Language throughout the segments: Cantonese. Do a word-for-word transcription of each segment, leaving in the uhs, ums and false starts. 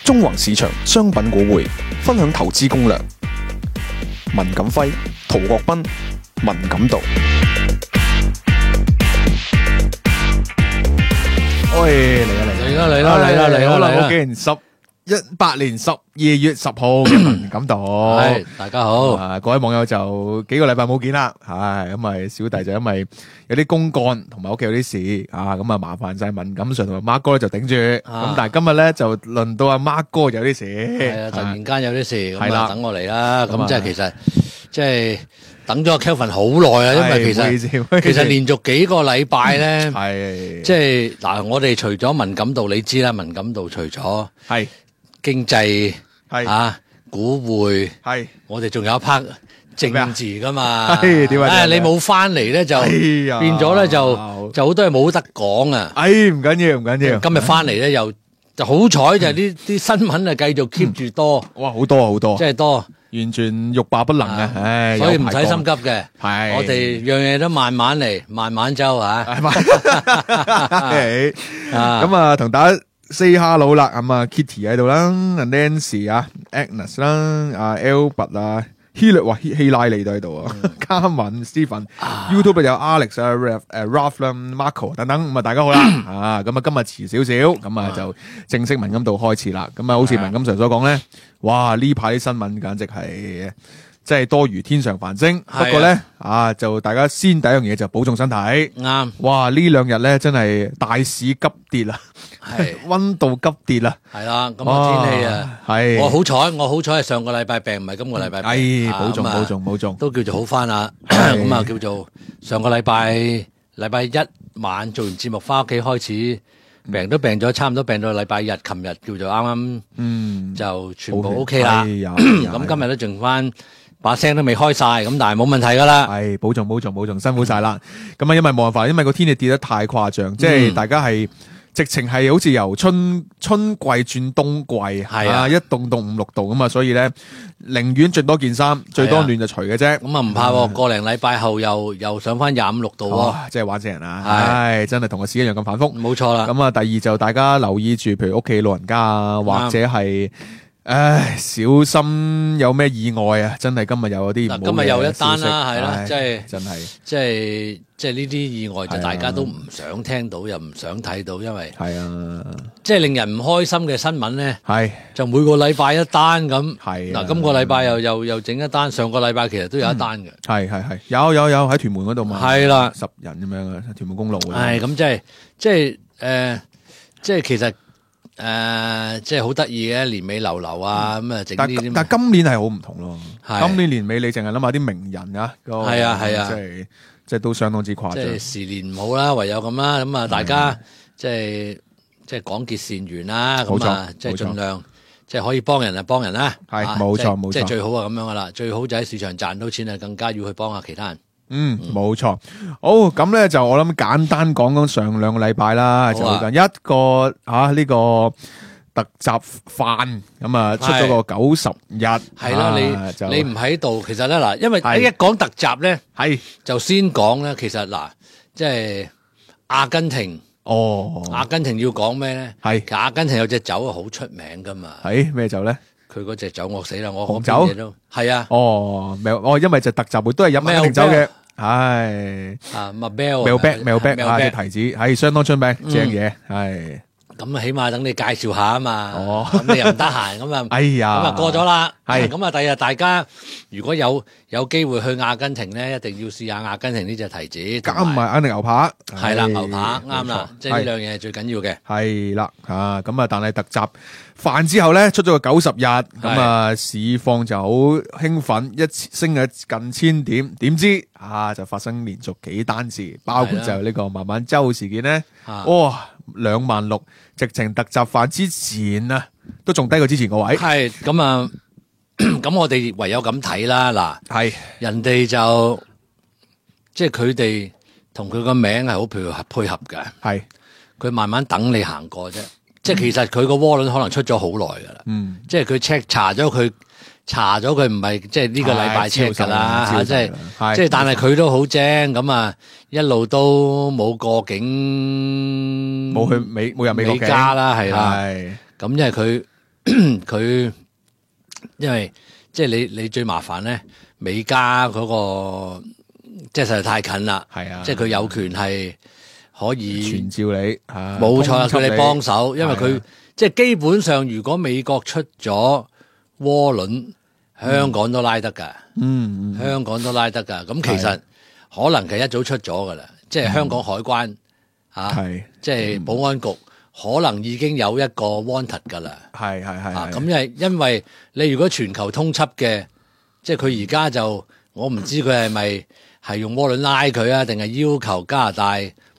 中環市場商品股匯分享投資攻略。文錦輝、陶國斌、文錦道。喂，嚟啦嚟嚟啦嚟啦嚟啦嚟啦好啦，嚟啦我見十一八年十二月十號嘅文錦道。係大家好，啊，各位網友就幾個禮拜冇見啦，係咁咪小弟就因為有啲公幹同埋屋企有啲事啊，咁啊麻煩晒文錦 Sir 同埋 Mark 哥咧就頂住，咁、啊但係今日咧就輪到阿 Mark 哥有啲事，係啊，突然間有啲事，係啦咁啊等我嚟啦，咁啊咁即係其實即係等咗阿 Kelvin 好耐啊，因為其係唔好意思實唔好意思其實連續幾個禮拜咧，係即係嗱，我哋除咗文錦道，你知啦，文錦道除咗係經濟係啊、股匯，係我哋仲有一 part 政治噶嘛，係點啊點啊唉你冇翻嚟咧就哎呀變咗咧就就好多嘢冇得講啊。哎唔緊要唔緊要，今日翻嚟咧又就好彩就係呢啲新聞啊繼續 keep 住多，哇好多好多即，係多，完全欲罷不能啊，唉，所以唔使有排講心急嘅。係我哋樣嘢都慢慢嚟，慢慢周啊。係嘛係啊咁啊，同大家 say hello 啦，咁啊 Kitty 喺度啦，阿 Nancy 啊 ，Agnes 啦，阿 Albert 啊。希律話希希拉里都喺度啊，嘉文、Stephen、YouTube 有 Alex 啊、Ralph 誒 Ralph 啦、Marco 等等，咁啊大家好啦，啊咁啊今日遲少少，咁啊就正式文錦道開始啦，咁啊好似文錦 Sir 所講咧，哇呢排啲新聞簡直係即係多如天上繁星，不過咧啊就大家先第一樣嘢就保重身體，啱，哇呢兩日咧真係大市急跌啦，係溫度急跌啦，係啦。咁啊天氣啊，係我好彩，我好彩係上個禮拜病，唔係今個禮拜病。哎啊咁啊保重保重保重，都叫做好翻啦。咁啊叫做上個禮拜禮拜一晚做完節目翻屋企開始病，都病咗差唔多病到禮拜日，琴日叫做啱啱嗯就全部 OK 啦。哎呀哎呀咁今日都剩翻把聲都未開晒，咁但係冇問題噶啦。係保重保重保重，辛苦晒啦。咁啊，因為冇辦法，因為個天氣跌得太誇張，即嗯係大家係直情係好似由春春季轉冬季，係啊一凍凍五六度咁啊，所以咧寧願着多件衫，最多暖就除嘅啫。咁啊唔怕喎，個零禮拜後又又上翻廿五六度喎。哇，真係玩死人啊！係唉，真係同個市一樣咁反覆。冇錯啦。咁啊，第二就大家留意住，譬如屋企老人家啊，或者係。唉，小心有咩意外啊！真係今日又有啲唔好嘅嗱今日又一單啦消息係啦唉即係真係即係即係呢啲意外就係啊大家都唔想聽到，又唔想睇到，因為係啊，即係令人唔開心嘅新聞咧，係就每個禮拜一單咁。係啊嗱，今個禮拜又又又整一單，上個禮拜其實都有一單嘅。係係係，有有有喺屯門嗰度嘛，係啦十人咁樣啊，屯門公路嗰度係咁，即係即係誒，即係其實誒，即係好得意嘅，年尾流流啊，咁啊整但呢啲。但今年係好唔同咯，係今年年尾你淨係諗下啲名人啊，係係啊係啊即係即係都相當之誇張即係，時年唔好啦，唯有咁啦。咁啊，大家即係即係廣結善緣啦。冇錯咁啊，即係冇錯盡量即係可以幫人就幫人啦。啊係冇錯即係冇錯即係最好係咁樣噶啦。最好就喺市場賺到錢啊，更加要去幫下其他人。嗯，冇錯。好，咁咧就我諗簡單講講上兩個禮拜啦，就好啊一個吓呢個特集飯咁啊，出咗個九十日，係啦，啊就你你唔喺度，其實咧嗱，因為係一講特集咧，係就先講咧，其實嗱，即係阿根廷，哦，阿根廷要講咩咧？係其實阿根廷有隻酒啊，好出名噶嘛。係咩酒咧？佢嗰隻酒我死啦，我紅酒講邊嘢都係啊，哦，咪哦，因為就特集會都係飲阿根廷酒嘅，係。啊 Mabel Malbec Malbec 啊，隻 Malbec 提子係相當出名，正嘢係。咁啊，起碼等你介紹下啊嘛。哦咁你又唔得閒，咁啊，哎呀，咁啊過咗啦。係咁啊，第日大家如果有有機會去阿根廷咧，一定要試下阿根廷呢隻提子，加埋肯定牛扒，係啦，唉牛扒啱啦，即係呢係兩樣嘢係最緊要嘅。係啦啊，咁啊，但係特集飯之後咧，出咗個九十日，咁啊市況就好興奮，一升咗近千點，點知啊就發生連續幾單事，包括就呢個慢慢周事件咧，啊哇兩萬六，直情特集飯之前啊，都仲低過之前個位，係咁啊，咁我哋唯有咁睇啦。嗱，係人哋就即係佢哋同佢個名係好配合配合嘅，係佢慢慢等你行過啫。即係其實佢個窩輪可能出咗好耐噶啦，嗯即係佢 check 查咗佢查咗佢唔係即係呢個禮拜 check 噶啦嚇，即係係即係但係佢都好精咁啊，一路都冇過境，冇去美冇入美國美加啦，係啦。係咁因為佢佢因為即係你你最麻煩咧，美加嗰、個即係實在太近啦，係啊，即係佢有權係可以傳召你，啊冇錯啦，通緝佢哋幫手，因為佢係啊即係基本上，如果美國出咗渦輪，香港都拉得㗎，嗯嗯香港都拉得㗎。咁其實可能係一早出咗㗎啦，即係香港海關啊，係即係保安局可能已經有一個 wanted 㗎啦。係係係啊，係咁因為因為你如果全球通緝嘅，即係佢而家就我唔知佢係咪係用渦輪拉佢啊，定係要求加拿大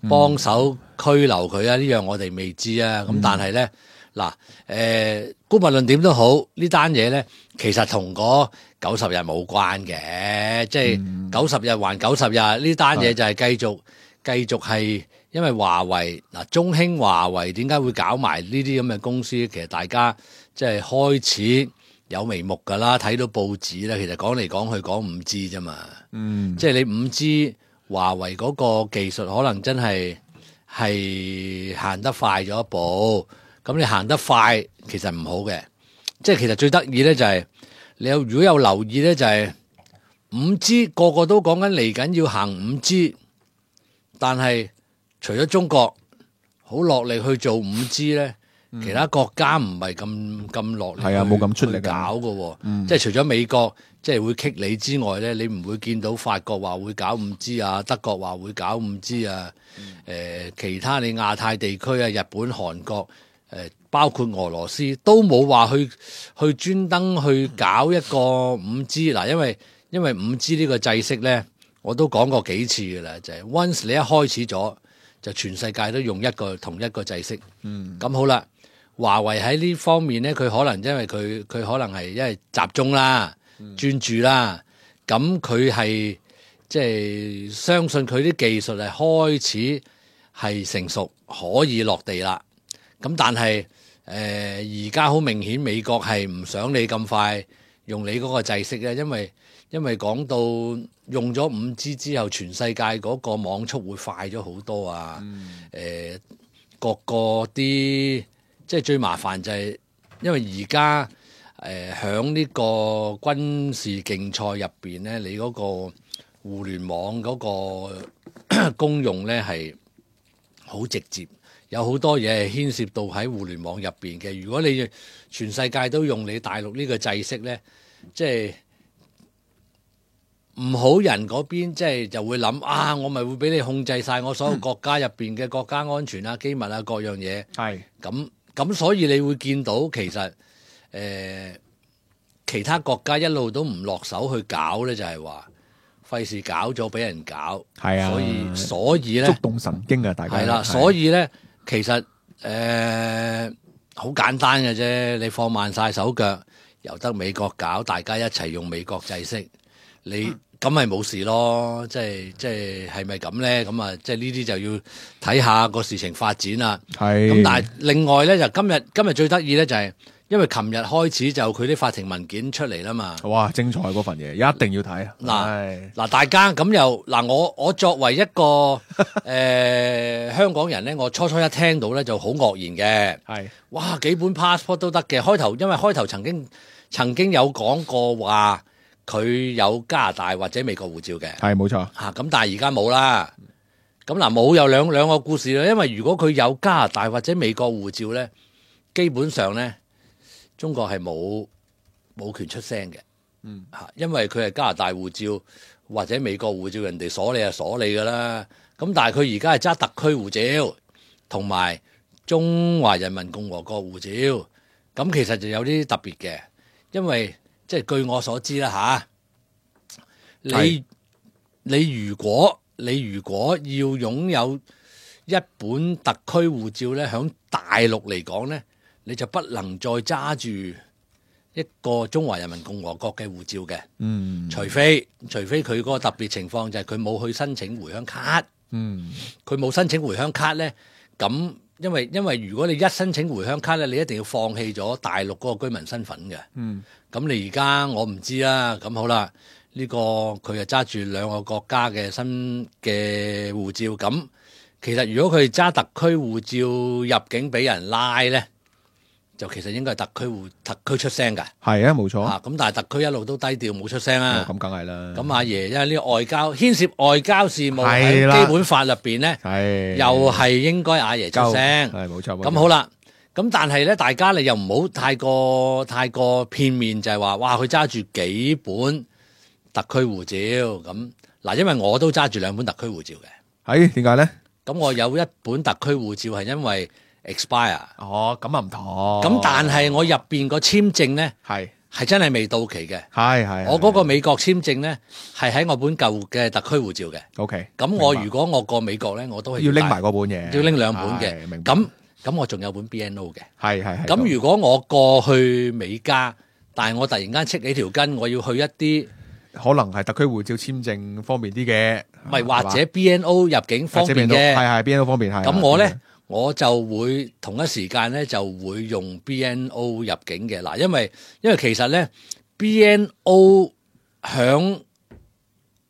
幫手拘留佢啊？呢樣我哋未知啊。咁但係咧嗱，誒，姑勿論點都好，呢單嘢咧其實同嗰九十日冇關嘅，即係九十日還九十日呢單嘢就係繼續繼續係。因為華為嗱，中興、華為點解會搞埋呢啲咁嘅公司？其實大家即係開始有眉目㗎啦，睇到報紙咧，其實講嚟講去講五 G 啫嘛，嗯，即係你五 G 華為嗰個技術可能真係係行得快咗一步，咁你行得快其實唔好嘅，即係其實最得意咧就係、是、你有如果有留意咧就係五 G 個個都講緊嚟緊要行五 G， 但係除咗中國好落力去做五 G 咧，嗯、其他國家唔係咁咁落力，係啊，冇咁出力去搞嘅喎。嗯、即係除咗美國即係會棘你之外咧，你唔會見到法國話會搞五 G 啊，德國話會搞五 G 啊。誒、嗯呃，其他你亞太地區啊，日本、韓國誒、呃，包括俄羅斯都冇話去去專登去搞一個五 G 嗱，因為因為五 G 呢個制式咧，我都講過幾次嘅啦，就係、是、once 你一開始咗。就全世界都用一個同一個制式，嗯，咁好啦。華為喺呢方面咧，佢可能因為佢佢可能係因為集中啦、嗯、專注啦，咁佢係即係相信佢啲技術係開始係成熟，可以落地啦。咁但係誒而家好明顯，美國係唔想你咁快用你嗰個制式嘅，因為因為講到。用咗五 G 之後，全世界嗰個網速會快咗好多啊！誒、嗯呃，各個啲即係最麻煩就係，因為而家誒響呢個軍事競賽入邊咧，你嗰個互聯網嗰個功用咧係好直接，有好多嘢係牽涉到喺互聯網入邊嘅。如果你全世界都用你大陸呢個制式咧，即係。唔好人嗰邊即係就會諗啊，我咪會俾你控制晒我所有國家入邊嘅國家安全啊、機密啊各樣嘢。係咁咁，所以你會見到其實誒、呃、其他國家一路都唔落手去搞咧，就係話費事搞咗俾人搞。係啊，所以所以咧觸動神經啊，大家係啦。所以咧其實誒好、呃、簡單嘅啫，你放慢晒手腳，由得美國搞，大家一齊用美國制式，你。嗯咁咪冇事咯，即係即係係咪咁咧？咁啊，即係呢啲就要睇下個事情發展啦。係。咁但係另外咧，就今日今日最得意咧，就係因為琴日開始就佢啲法庭文件出嚟啦嘛。哇！精彩嗰份嘢，一定要睇。嗱嗱，大家咁又嗱，我我作為一個誒、呃、香港人咧，我初初一聽到咧就好愕然嘅。係。哇！幾本 passport 都得嘅。開頭因為開頭曾經曾經有講過話。佢有加拿大或者美國護照嘅，係冇錯嚇。咁但係而家冇啦。咁嗱冇有兩兩個故事啦。因為如果佢有加拿大或者美國護照咧，基本上咧中國係冇冇權出聲嘅。嗯嚇，因為佢係加拿大護照或者美國護照，人哋鎖你就鎖你噶啦。咁但係佢而家係揸特區護照同埋中華人民共和國護照，咁其實就有啲特別嘅，因為。即係據我所知啦吓，你你如果你如果要擁有一本特區護照咧，響大陸嚟講咧，你就不能再揸住一個中華人民共和國嘅護照嘅。嗯，除非除非佢嗰個特別情況就係佢冇去申請回鄉卡。嗯，佢冇申請回鄉卡咧，咁。因為因為如果你一申請回鄉卡咧，你一定要放棄咗大陸嗰個居民身份嘅。嗯，咁你而家我唔知啦。咁好啦，呢、這個佢就揸住兩個國家嘅新嘅護照。咁其實如果佢揸特區護照入境俾人拉咧，就其實應該係特區會特區出聲㗎。係啊，冇錯。啊，咁但係特區一路都低調冇出聲啊。咁梗係啦。咁阿爺因為呢個外交牽涉外交事務喺基本法入邊咧，又係應該阿爺出聲。係冇錯。咁好啦，咁但係咧，大家你又唔好太過太過片面，就係話哇，佢揸住幾本特區護照咁嗱，因為我都揸住兩本特區護照嘅。係點解咧？咁我有一本特區護照係因為 expire。哦，咁啊唔同。咁但係我入邊個簽證咧係係真係未到期嘅。係係。我嗰個美國簽證咧係喺我本舊嘅特區護照嘅。OK。咁我如果我過美國咧，我都係要拎埋嗰本嘢，要拎兩本嘅。明白。咁咁我仲有本 B N O 嘅。係係係。咁如果我過去美加，但係我突然間戚起條筋，我要去一啲可能係特區護照簽證方便啲嘅，唔係或者 B N O 入境方便嘅，係係 B N O 方便係。咁我咧我就會同一時間咧就會用 B N O 入境嘅嗱，因為因為其實咧 B N O 響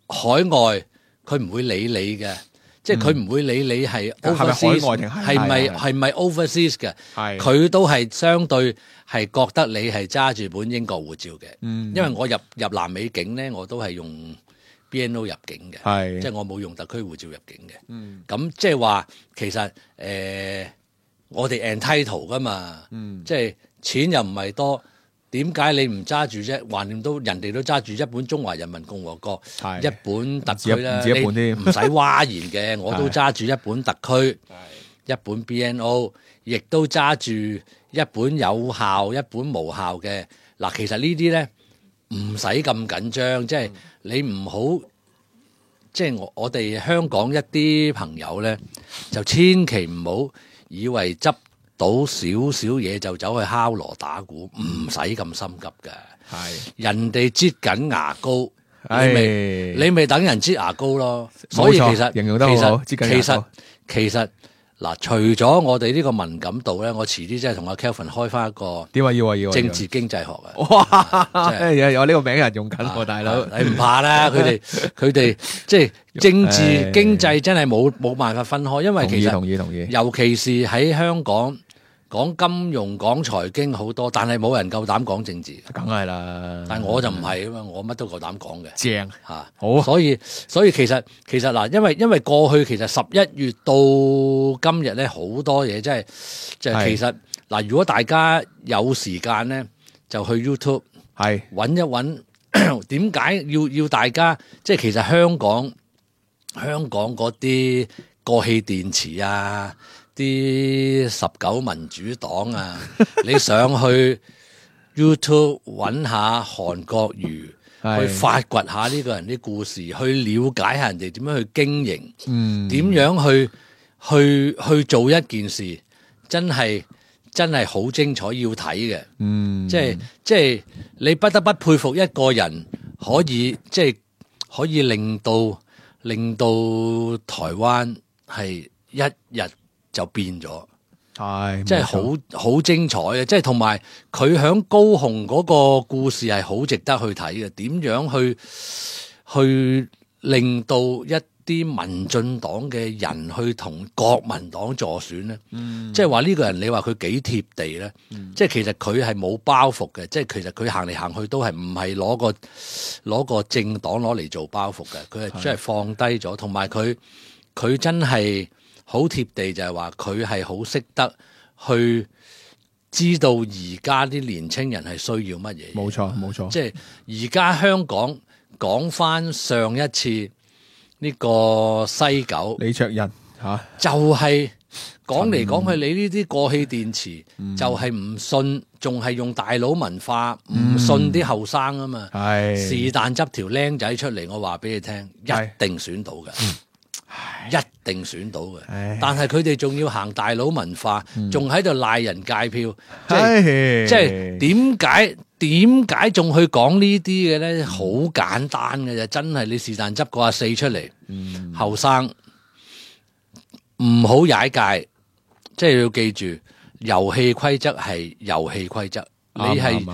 海外佢唔會理你嘅，即係佢唔會理你係 overseas 係咪係咪 overseas 嘅，佢都係相對係覺得你係揸住本英國護照嘅。嗯，因為我入入南美境咧，我都係用 B N O 入境嘅，即係我冇用特區護照入境嘅。嗯，咁即係話其實誒、呃，我哋 entitle 噶嘛，嗯，即係錢又唔係多。點解你唔揸住啫？橫掂都人哋都揸住一本中華人民共和國，一本特區啦，你唔使嘩然嘅，我都揸住一本特區，一本 B N O， 亦都揸住一本有效、一本無效嘅。嗱，其實呢啲咧唔使咁緊張，即係你唔好，即係我我哋香港一啲朋友咧，就千祈唔好以為執到少少嘢就走去敲鑼打鼓，唔使咁心急嘅。係人哋擠緊牙膏，你咪你咪等人擠牙膏咯。所以其實形容得好好，其實其實其實嗱，除咗我哋呢個敏感度咧，我遲啲真係同阿 Kelvin 開翻一個點啊要啊要政治經濟學啊！哇，有呢個名人用緊喎，大佬你唔怕啦，佢哋佢哋即係政治經濟真係冇冇辦法分開，因為其實同意同意，尤其是喺香港。講金融、講財經好多，但係冇人夠膽講政治。梗係啦，但係我就唔係啊嘛，我乜都夠膽講嘅。正嚇，啊、好。所以所以其實其實嗱，因為因為過去其實十一月到今日咧，好多嘢真係即係其實嗱，如果大家有時間咧，就去 YouTube 係揾一揾點解要要大家即係其實香港香港嗰啲過氣電池啊。啲十九民主黨啊，你上去 YouTube 揾下韓國瑜，去發掘下呢個人啲故事，去了解下人哋點樣去經營，嗯，點樣去去去做一件事，真係真係好精彩，要睇嘅，嗯，即係即係你不得不佩服一個人可以即係可以令到令到台灣係一日就變咗，係即係好好精彩嘅，即係同埋佢響高雄嗰個故事係好值得去睇嘅。點樣去去令到一啲民進黨嘅人去同國民黨助選咧？嗯，即係話呢個人，你話佢幾貼地咧？嗯，即係其實佢係冇包袱嘅，即係其實佢行嚟行去都係唔係攞個攞個政黨攞嚟做包袱嘅，佢係真係放低咗，同埋佢佢真係。好貼地就係話佢係好識得去知道而家啲年青人係需要乜嘢。冇錯冇錯，即係而家香港講翻上一次呢個西九李卓人嚇，啊、就係講嚟講去，你呢啲過氣電池、嗯、就係唔信，仲係用大佬文化，唔、嗯、信啲後生啊嘛。係是但執條僆仔出嚟，我話俾你聽，一定選到嘅。嗯一定選到嘅，唉但係佢哋仲要行大佬文化，仲喺度賴人界票，即係即係點解點解仲去講呢啲嘅咧？好、嗯、簡單嘅啫，真係你是但執個阿四出嚟，後生唔好踩界，即係要記住遊戲規則係遊戲規則，你係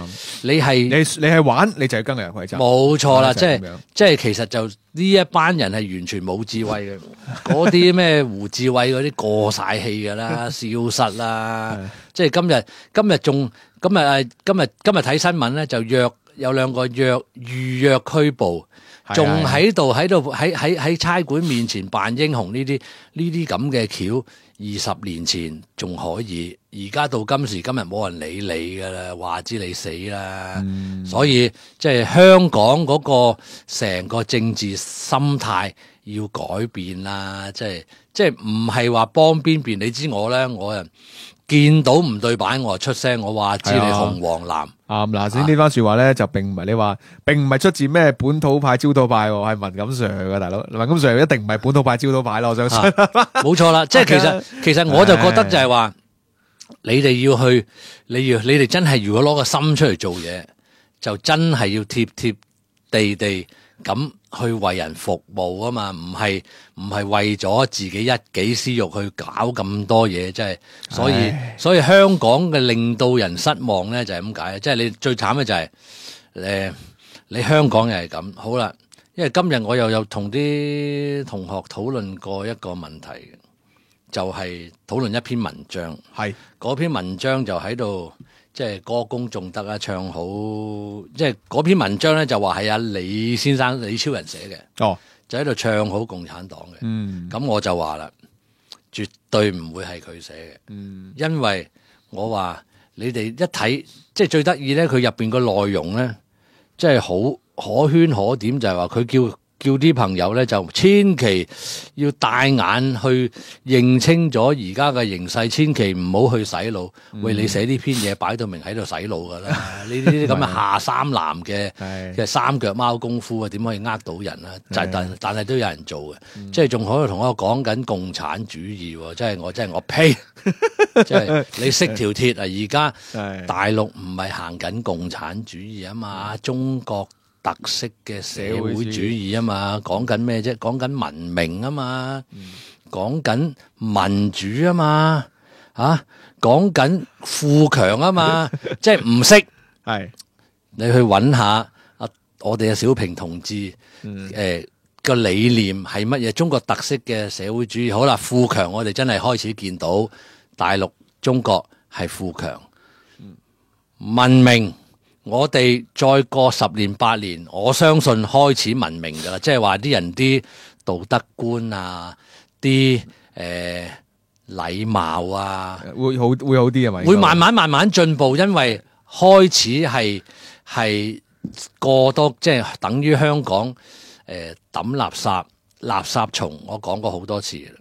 你係你你係玩，你就要跟遊戲規則。冇錯啦，即係就係咁樣即係其實就呢一班人係完全冇智慧嘅，嗰啲咩胡志偉嗰啲過晒氣噶啦，消失啦。即係今日今日仲今日誒今日今日睇新聞咧，就約有兩個約預約拘捕。仲喺度喺度喺喺喺差館面前扮英雄，呢啲呢啲咁嘅橋，二十年前仲可以，而家到今時今日冇人理你噶啦，話知你死啦。嗯、所以即係香港嗰個成個政治心態要改變啦，即係即係唔係話幫邊邊？你知我咧，我啊見到唔對版，我就出聲，我話知你紅黃藍。啱嗱，先呢番說話咧，就並唔係你話，並唔係出自咩本土派、焦土派，係文錦 Sir 嘅大佬。文錦 Sir 一定唔係本土派、焦土派咯，我相信。冇錯啦，即係其實其實我就覺得就係話，你哋要去，你要你哋真係如果攞個心出嚟做嘢，就真係要貼貼地地咁去為人服務啊嘛，唔係唔係為咗自己一己私欲去搞咁多嘢，即係所以所以香港嘅令到人失望咧就係咁解，即係你最慘嘅就係誒你香港又係咁好啦，因為今日我又有同啲同學討論過一個問題，就係討論一篇文章，係嗰篇文章就喺度。即係歌功頌德啊，唱好，即係嗰篇文章咧就話係阿李先生李超人寫嘅，哦，就喺度唱好共產黨嘅，嗯，咁我就話啦，絕對唔會係佢寫嘅，嗯，因為我話你哋一睇，即係最得意咧，佢入邊個內容咧，即係好可圈可點，就係話佢叫。叫啲朋友咧就千祈要帶眼去認清咗而家嘅形勢，千祈唔好去洗腦。嗯、喂，你寫呢篇嘢擺到明喺度洗腦噶啦！呢啲咁嘅下三濫嘅嘅三腳貓功夫啊，點可以呃到人啊？但但但係都有人做嘅，嗯、即係仲可以同我講緊共產主義，即係我真係我呸！即係你識條鐵啊！而家大陸唔係行緊共產主義啊嘛，中國。特色嘅社會主義啊嘛，講緊咩啫？講緊文明啊嘛，講緊、嗯、民主啊嘛，啊，講緊富強啊嘛，即係唔識係你去揾下啊，我哋嘅小平同志誒個、嗯呃、理念係乜嘢？中國特色嘅社會主義好啦，富強我哋真係開始見到大陸中國係富強，嗯、文明。我哋再過十年八年，我相信開始文明噶啦，即係話啲人啲道德觀啊，啲誒禮貌啊，會好會好啲係咪？會慢慢慢慢進步，因為開始係係過多，即係等於香港誒抌垃圾垃圾蟲，我講過好多次啦。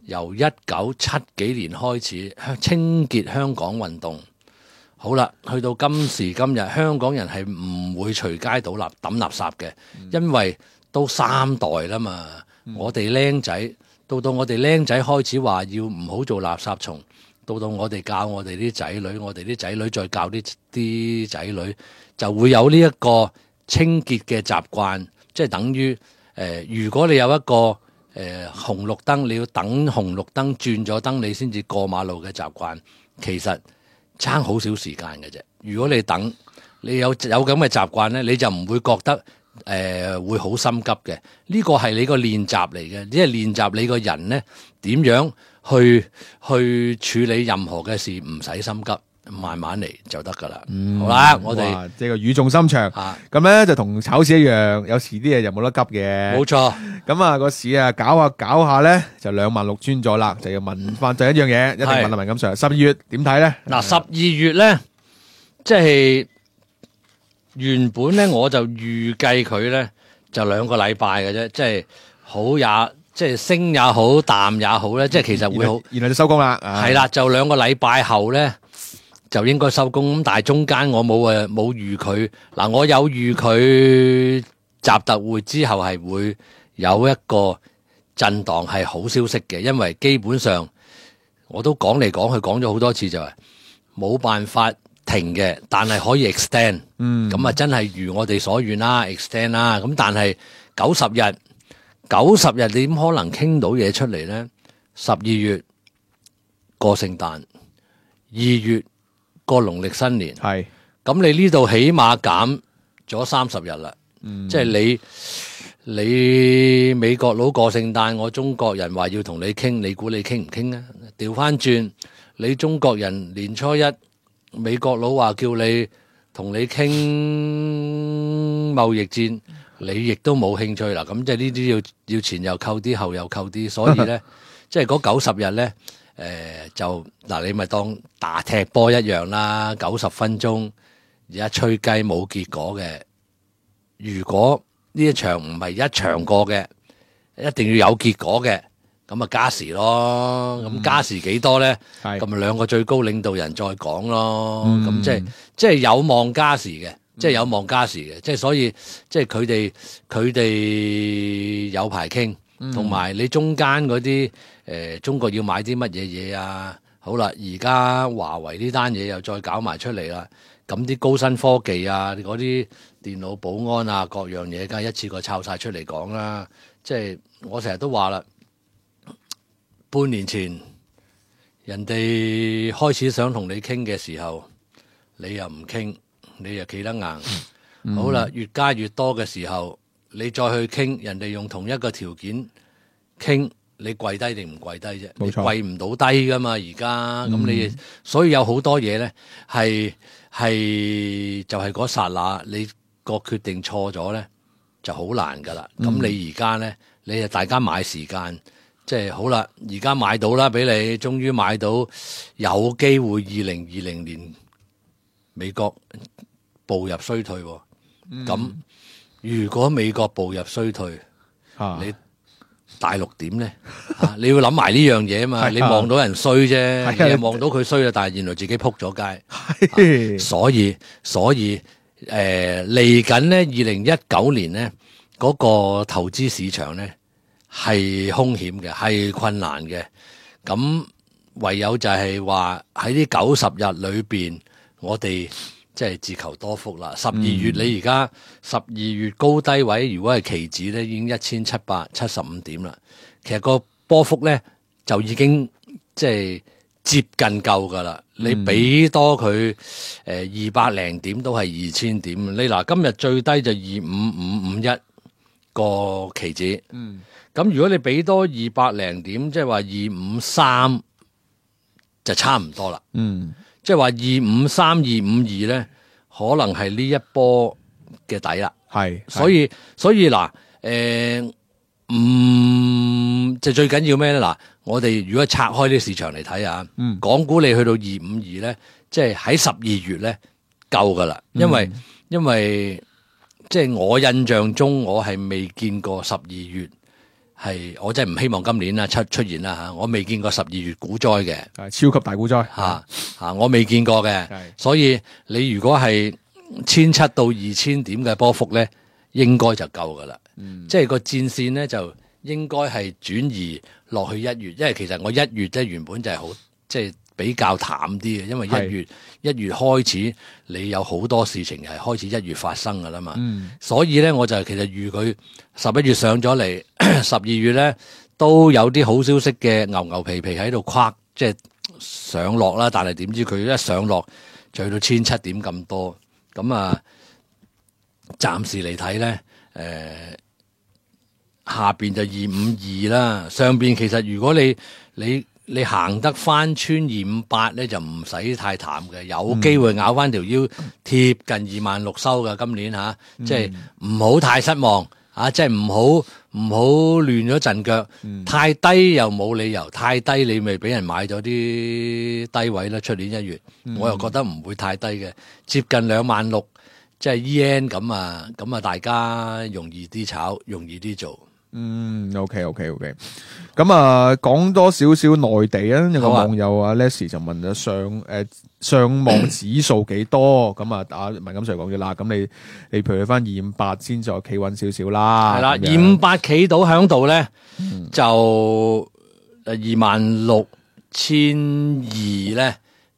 由一九七幾年開始，清潔香港運動。好啦，去到今時今日，香港人係唔會隨街倒垃抌垃圾嘅，因為都三代啦嘛。嗯、我哋僆仔到到我哋僆仔開始話要唔好做垃圾蟲，到到我哋教我哋啲仔女，我哋啲仔女再教啲啲仔女，就會有呢一個清潔嘅習慣，即係等於誒、呃，如果你有一個誒、呃、紅綠燈，你要等紅綠燈轉咗燈，你先至過馬路嘅習慣，其實。差好少時間嘅啫，如果你等，你有有咁嘅習慣咧，你就唔會覺得誒、呃、會好心急嘅。呢個係你個練習嚟嘅，即係練習你個人咧點樣去去處理任何嘅事，唔使心急，慢慢嚟就得噶啦。嗯、好啦，我哋即係個語重心長，咁咧、啊、就同炒市一樣，有時啲嘢就冇得急嘅。冇錯，咁啊個市啊搞下搞下咧就兩萬六穿咗啦，就要問翻就一樣嘢，一定問阿文錦 Sir，十二月點睇咧？嗱，十二月咧，即係原本咧我就預計佢咧就兩個禮拜嘅啫，即係好也即係升也好，淡也好咧，即係其實會好，然後就收工啦。係啦，就兩個禮拜後咧。就應該收工咁，但係中間我冇誒冇預佢嗱，我有預佢習特會之後係會有一個震盪係好消息嘅，因為基本上我都講嚟講去講咗好多次就係冇辦法停嘅，但係可以 extend，嗯，咁啊真係如我哋所願啦 extend 啦，咁但係九十日九十日你點可能傾到嘢出嚟咧？十二月過聖誕，二月。過農曆新年，係咁你呢度起碼減咗三十日啦。嗯、即係你你美國佬過聖誕，我中國人話要同你傾，你估你傾唔傾啊？調翻轉，你中國人年初一，美國佬話叫你同你傾貿易戰，你亦都冇興趣啦。咁即係呢啲要要前又扣啲，後又扣啲，所以咧，即係嗰九十日咧，誒、呃、就嗱，你咪當打踢波一樣啦，九十分鐘而家吹雞冇結果嘅。如果呢一場唔係一場過嘅，一定要有結果嘅，咁啊加時咯。咁、嗯、加時幾多咧？咁咪兩個最高領導人再講咯。咁、嗯、即係即係有望加時嘅，即係有望加時嘅。即係所以即係佢哋佢哋有排傾，同埋你中間嗰啲誒中國要買啲乜嘢嘢啊？好啦，而家華為呢單嘢又再搞埋出嚟啦。咁啲高新科技啊，嗰啲電腦保安啊，各樣嘢梗係一次過抄晒出嚟講啦。即係我成日都話啦，半年前人哋開始想同你傾嘅時候，你又唔傾，你又企得硬。嗯、好啦，越加越多嘅時候，你再去傾，人哋用同一個條件傾，你跪低定唔跪低啫？你跪唔到低噶嘛？而家咁你，所以有好多嘢咧係。係就係嗰剎那，你個決定錯咗咧，就好難噶啦。咁、嗯、你而家咧，你就大家買時間，即係好啦。而家買到啦，俾你終於買到，有機會二零二零年美國步入衰退。咁、嗯、如果美國步入衰退，啊、你大陸點咧？啊、你要諗埋呢樣嘢啊嘛！你望到人衰啫，你又望到佢衰啦，但係原來自己撲咗街、啊。所以所以誒嚟緊咧，二零一九年咧嗰、嗰個投資市場咧係兇險嘅，係困難嘅。咁唯有就係話喺呢九十日裏邊，我哋即係自求多福啦。十二月、嗯、你而家十二月高低位，如果係期指咧，已經一千七百七十五點啦。其實個波幅咧就已經即係接近夠噶啦。你俾多佢誒二百零點都係二千點。你嗱今日最低就二五五五一個期指。嗯，咁如果你俾多二百零點，即係話二五三就差唔多啦。嗯，即係話二五三二五二咧，可能係呢一波嘅底啦。係，所以所以嗱誒。嗯，就最緊要咩咧？嗱，我哋如果拆開啲市場嚟睇下，嗯，港股你去到二五二咧，即係喺十二月咧夠噶啦，因為、嗯、因為即係我印象中我係未見過十二月係，我真係唔希望今年啦出出現啦吓，我未見過十二月股災嘅，係超級大股災吓吓，我未見過嘅，所以你如果係千七到二千點嘅波幅咧，應該就夠噶啦。嗯、即係個戰線咧，就應該係轉移落去一月，因為其實我一月咧原本就係好即係比較淡啲嘅，因為一月一月開始你有好多事情係開始一月發生噶啦嘛，嗯、所以咧我就其實預佢十一月上咗嚟，十二月咧都有啲好消息嘅牛牛皮皮喺度跨即係上落啦，但係點知佢一上落就去到千七點咁多，咁啊暫時嚟睇咧誒。呃下邊就二五二啦，上邊其實如果你你你行得翻穿二五八咧，就唔使太淡嘅，有機會咬翻條腰貼近二萬六收㗎。今年吓、啊，即係唔好太失望啊！即係唔好唔好亂咗陣腳，嗯、太低又冇理由，太低你咪俾人買咗啲低位啦。出年一月，嗯、我又覺得唔會太低嘅，接近兩萬六，即係 yen 咁啊，咁啊，大家容易啲炒，容易啲做。嗯 ，OK OK OK，咁啊，講多少少內地啊，有個網友啊 Leslie 就問咗上誒、呃、上望指數幾多？咁啊，阿文錦 Sir 講咗啦，咁你你譬如翻二五八先再企穩少少啦，係啦，二五八企到喺度咧，嗯、就二萬六千二咧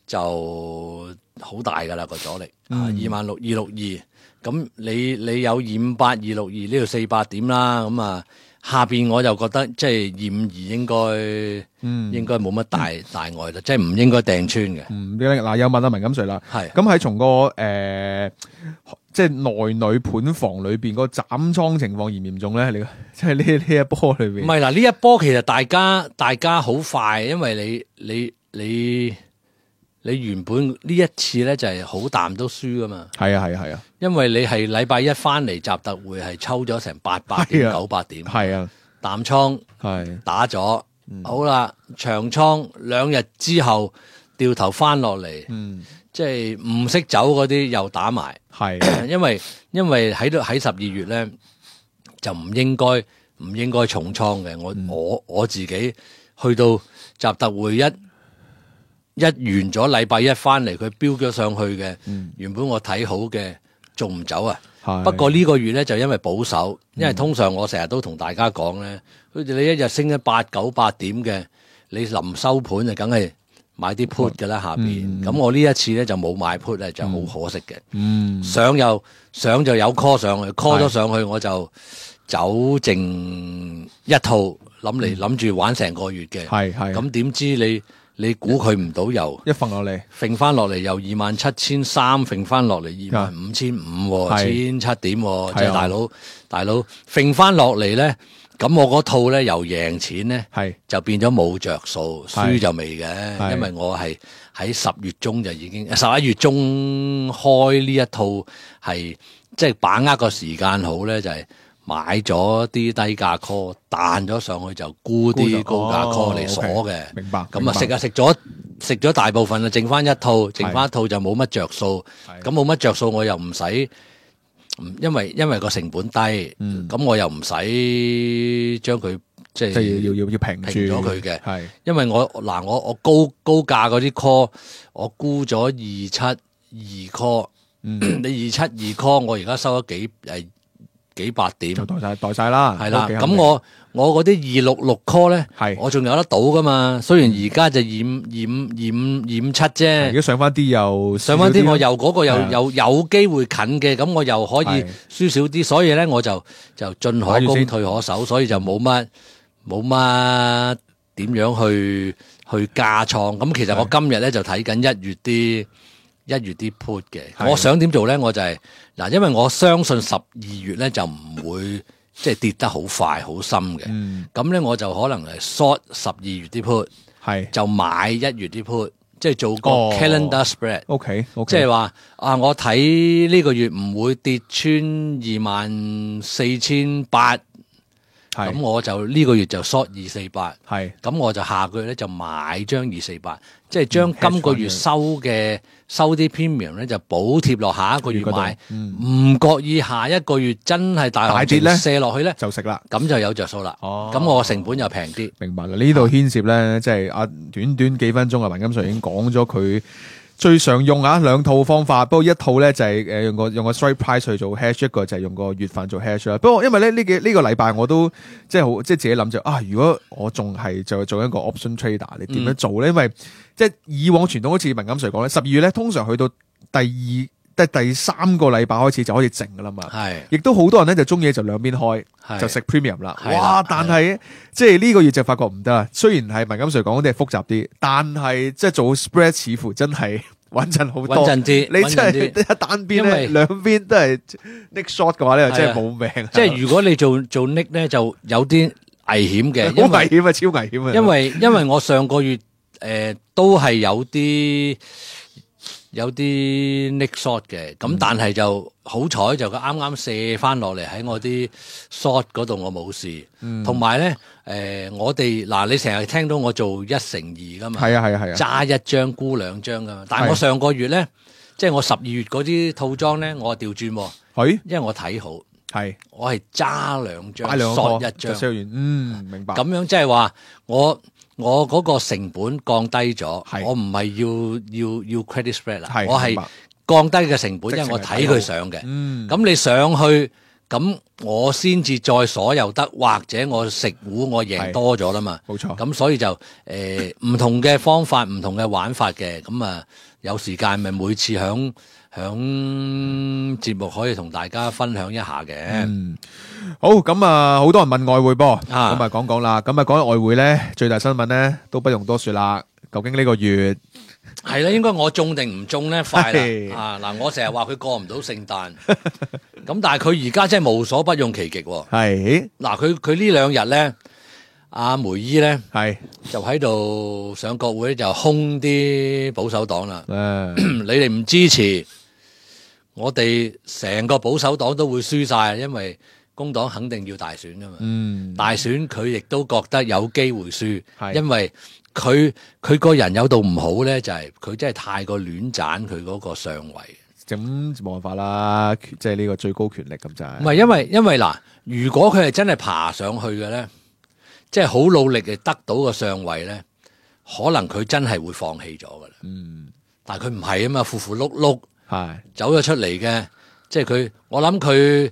就好大噶啦個阻力，啊二萬六二六二。咁你你有二五八二六二呢度四百點啦，咁啊下邊我就覺得即係二五二應該，嗯，應該冇乜大大礙啦，即係唔應該掟穿嘅。嗯，嗱有問阿文錦瑞啦，係咁喺從個誒、呃、即係內女盤房裏邊個斬倉情況嚴唔嚴重咧？你即係呢呢一波裏邊，唔係嗱，呢一波其實大家大家好快，因為你你你你原本呢一次咧就係好淡都輸噶嘛。係啊係啊係啊，因為你係禮拜一翻嚟集特會係抽咗成八百點九百點，係啊淡倉係打咗，嗯、好啦長倉兩日之後掉頭翻落嚟，嗯，即係唔識走嗰啲又打埋，係因為因為喺度喺十二月咧就唔應該唔應該重倉嘅，我、嗯、我我自己去到集特會一。一完咗禮拜一翻嚟，佢飆咗上去嘅，嗯、原本我睇好嘅，仲唔走啊？不過呢個月咧就因為保守，因為通常我成日都同大家講咧，好似你一日升咗八九百點嘅，你臨收盤就梗係買啲 put 㗎啦下邊。咁、嗯、我呢一次咧就冇買 put 咧，就好可惜嘅。嗯、上又上就有 call 上去 ，call 咗上去我就走剩一套，諗嚟諗住玩成個月嘅。係係咁點知你？你估佢唔到又一瞓落嚟，揈翻落嚟又二萬七千三，揈翻落嚟二萬五千五，千七點，即係大佬大佬揈翻落嚟咧，咁我嗰套咧由贏錢咧，就變咗冇着數，輸就未嘅，因為我係喺十月中就已經十一月中開呢一套係即係把握個時間好咧，就係、是。買咗啲低價 call， 彈咗上去就沽啲高價 call 嚟鎖嘅、哦 okay，明白。咁啊食啊食咗食咗大部分啊，剩翻一套，剩翻一套就冇乜着數。咁冇乜着數，我又唔使，因為因為個成本低，咁、嗯、我又唔使將佢即係要要要平平咗佢嘅。係，因為我嗱我我高高價嗰啲 call， 我沽咗二七二 call，、嗯、你二七二 call， 我而家收咗幾誒？幾百點就代晒代晒啦，係啦。咁我我嗰啲二六六 call 咧，係我仲有得賭噶嘛。雖然而家就二五二五二五二五七啫，如果上翻啲又上翻啲，我又嗰個又有有機會近嘅，咁我又可以輸少啲。所以咧，我就就進可攻退可守，所以就冇乜冇乜點樣去去加倉。咁其實我今日咧就睇緊一月啲。一月啲 put 嘅，我想點做咧？我就係、是、嗱，因為我相信十二月咧就唔會即係跌得好快好深嘅。咁、嗯、咧我就可能係 short 十二月啲 put， 係就買一月啲 put， 即係做個 calendar spread。OK，即係話啊，我睇呢個月唔會跌穿二萬四千八。咁我就呢個月就 short 二四八，係咁我就下個月咧就買張二四八，即係將今個月收嘅、嗯、收啲 premium 咧就補貼落下一個月買，唔覺、嗯、意下一個月真係大行情射落去咧就食啦，咁就有着數啦。哦，咁我成本又平啲。明白啦，呢度牽涉咧，即係啊短短幾分鐘啊，文錦瑞已經講咗佢。最常用啊兩套方法，不過一套咧就係誒用個用個 strike price 去做 hedge， 一個就係用個月份做 hedge 啦。不過因為咧呢幾呢個禮拜我都即係好即係自己諗住啊，如果我仲係就做一個 option trader，你點樣做咧？嗯、因為即係以往傳統好似文錦瑞講咧，十二月咧通常去到第二即係第三個禮拜開始就開始靜噶啦嘛。係，亦都好多人咧就中意就兩邊開，就食 premium 啦。哇！但係即係呢個月就發覺唔得啦。雖然係文錦瑞講嗰啲係複雜啲，但係即係做 spread 似乎真係穩陣好多。穩陣啲，你真係一單邊咧，兩邊都係 nick short 嘅話咧，真係冇命。即係如果你做做 nick 咧，就有啲危險嘅，好危險啊，超危險啊！因為因為我上個月誒、呃、都係有啲。有啲 nick short 嘅，咁但係就好彩就佢啱啱射翻落嚟喺我啲 short 嗰度，我冇事。同埋咧，誒、呃、我哋嗱，你成日聽到我做一乘二噶嘛？係啊係啊係啊，揸一張沽兩張噶嘛。但係我上個月咧，即係我十二月嗰啲套裝咧，我調轉喎。係，因為我睇好，係我係揸兩張 short 一張。嗯，明白。咁樣即係話我。我嗰個成本降低咗，我唔係要要要 credit spread 啦，我係降低嘅成本，因為我睇佢上嘅。咁、嗯、你上去，咁我先至再所有得，或者我食糊我贏多咗啦嘛。冇錯。咁所以就誒唔、呃、同嘅方法，唔同嘅玩法嘅，咁啊有時間咪每次響響節目可以同大家分享一下嘅。嗯，好，咁啊，好多人問外匯噃，咁啊啊講講啦。咁啊講起外匯咧，最大新聞咧都不用多說啦。究竟呢個月係啦，應該我中定唔中咧？快係啦！啊嗱，我成日話佢過唔到聖誕，咁但係佢而家真係無所不用其極喎。係嗱，佢佢呢兩日咧，阿梅姨咧係就喺度上國會就兇啲保守黨啦。誒你哋唔支持，我哋成個保守黨都會輸晒，因為工黨肯定要大選噶嘛。嗯大選佢亦都覺得有機會輸，係因為佢佢個人有度唔好咧，就係佢真係太過亂斬佢嗰個上位。咁冇辦法啦，即係呢個最高權力咁就係。唔係因為因為嗱，如果佢係真係爬上去嘅咧，即係好努力嘅得到個上位咧，可能佢真係會放棄咗噶啦。嗯，但係佢唔係啊嘛，符符碌碌係走咗出嚟嘅，即係佢，我諗佢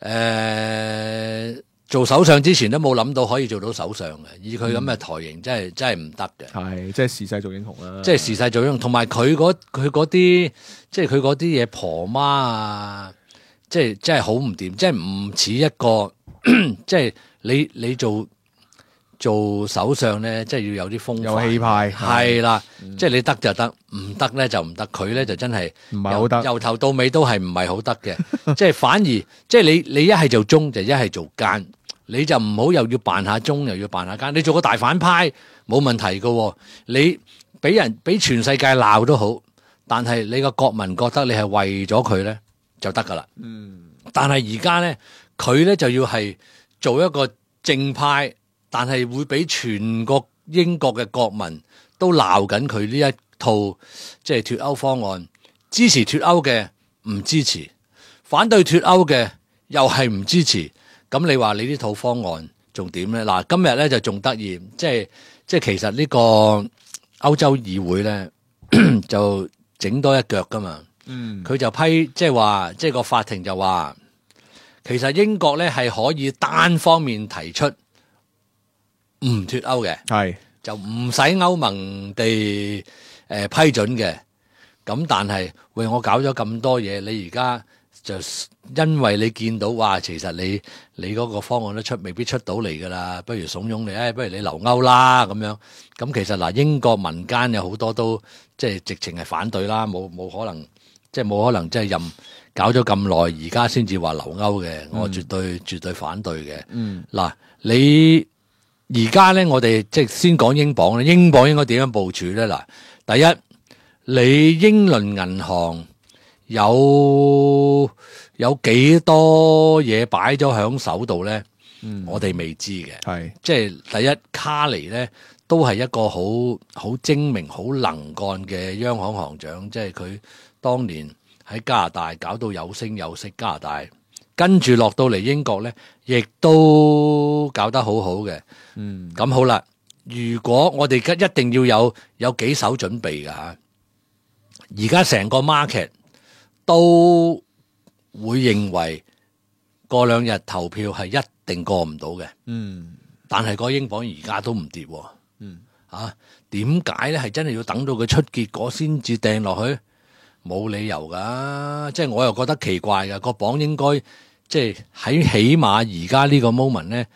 誒做首相之前都冇諗到可以做到首相嘅，以佢咁嘅台型真係真係唔得嘅。係即係時勢做英雄啦。即係時勢做英雄，同埋佢嗰佢嗰啲，即係佢嗰啲嘢婆媽啊，即係真係好唔掂，即係唔似一個，即係你你做做首相咧，即係要有啲風範有氣派係啦，即係你得就得，唔得咧就唔得。佢咧就真係唔係好得由由頭到尾都係唔係好得嘅，即係反而即係你你一係做中就一係做奸。你就唔好又要扮下忠又要扮下奸，你做個大反派冇問題噶，你俾人俾全世界鬧都好，但係你個國民覺得你係為咗佢咧就得噶啦。嗯，但係而家咧佢咧就要係做一個正派，但係會俾全個英國嘅國民都鬧緊佢呢一套即係脫歐方案，支持脫歐嘅唔支持，反對脫歐嘅又係唔支持。咁你話你呢套方案仲點咧？嗱，今日咧就仲得意，即係即係其實呢個歐洲議會咧就整多一腳噶嘛。嗯，佢就批即係話，即係個法庭就話，其實英國咧係可以單方面提出唔脫歐嘅，係就唔使歐盟地誒、呃、批准嘅。咁但係喂，我搞咗咁多嘢，你而家就因為你見到話，其實你你嗰個方案都出未必出到嚟噶啦，不如慫恿你，誒、哎，不如你留歐啦咁樣。咁其實嗱，英國民間有好多都即係直情係反對啦，冇冇可能，即係冇可能即係任搞咗咁耐，而家先至話留歐嘅，我絕對、嗯、絕對反對嘅。嗯，嗱，你而家咧，我哋即係先講英鎊咧，英鎊應該點樣部署咧？嗱，第一，你英倫銀行有有幾多嘢擺咗喺手度咧？嗯，我哋未知嘅。係即係第一，卡尼咧都係一個好好精明、好能幹嘅央行行長，即係佢當年喺加拿大搞到有聲有色，加拿大跟住落到嚟英國咧，亦都搞得好好嘅。嗯，咁好啦，如果我哋一定要有有幾手準備㗎吓，而家成個 market 都會認為過兩日投票係一定過唔到嘅。嗯，但係個英鎊而家都唔跌。嗯，啊，點解咧？係真係要等到佢出結果先至掟落去？冇理由噶，即係我又覺得奇怪噶。個鎊應該即係喺起碼而家呢個 moment 咧，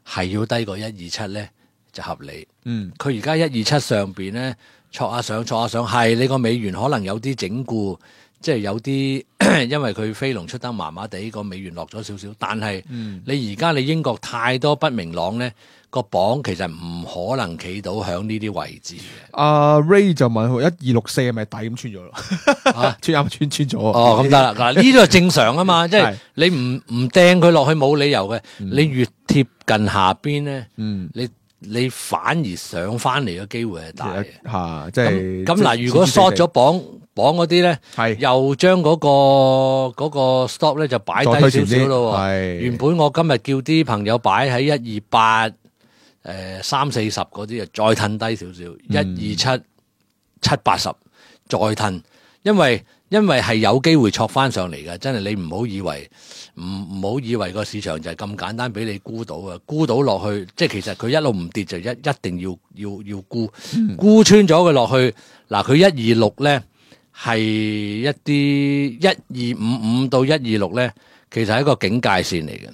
係要低過一二七咧就合理。嗯，佢而家一二七上邊咧，挫下上挫下上，係你個美元可能有啲整固，即係有啲因為佢飛龍出得麻麻地，個美元落咗少少。但係你而家你英國太多不明朗咧，個鎊其實唔可能企到響呢啲位置嘅。阿 Ray 就問佢一二六四係咪底咁穿咗咯？啊，穿啱穿穿咗哦，咁得啦。嗱，呢個係正常啊嘛，即係你唔唔掟佢落去冇理由嘅。你越貼近下邊咧，嗯，你你反而上翻嚟嘅機會係大嘅。嚇，即係咁嗱，如果 short 咗鎊鎊嗰啲咧，係又將嗰個嗰個 stop 咧就擺低少少咯。係原本我今日叫啲朋友擺喺一二八。誒，三四十嗰啲啊，再褪低少少，一二七七八十再褪，因為因為係有機會挫翻上嚟嘅，真係你唔好以為唔唔好以為個市場就係咁簡單俾你沽到啊，沽到落去，即係其實佢一路唔跌就一一定要要要沽，沽、嗯、穿咗佢落去，嗱佢一二六咧，係一啲一二五五到一二六咧，其實係一個警戒線嚟嘅。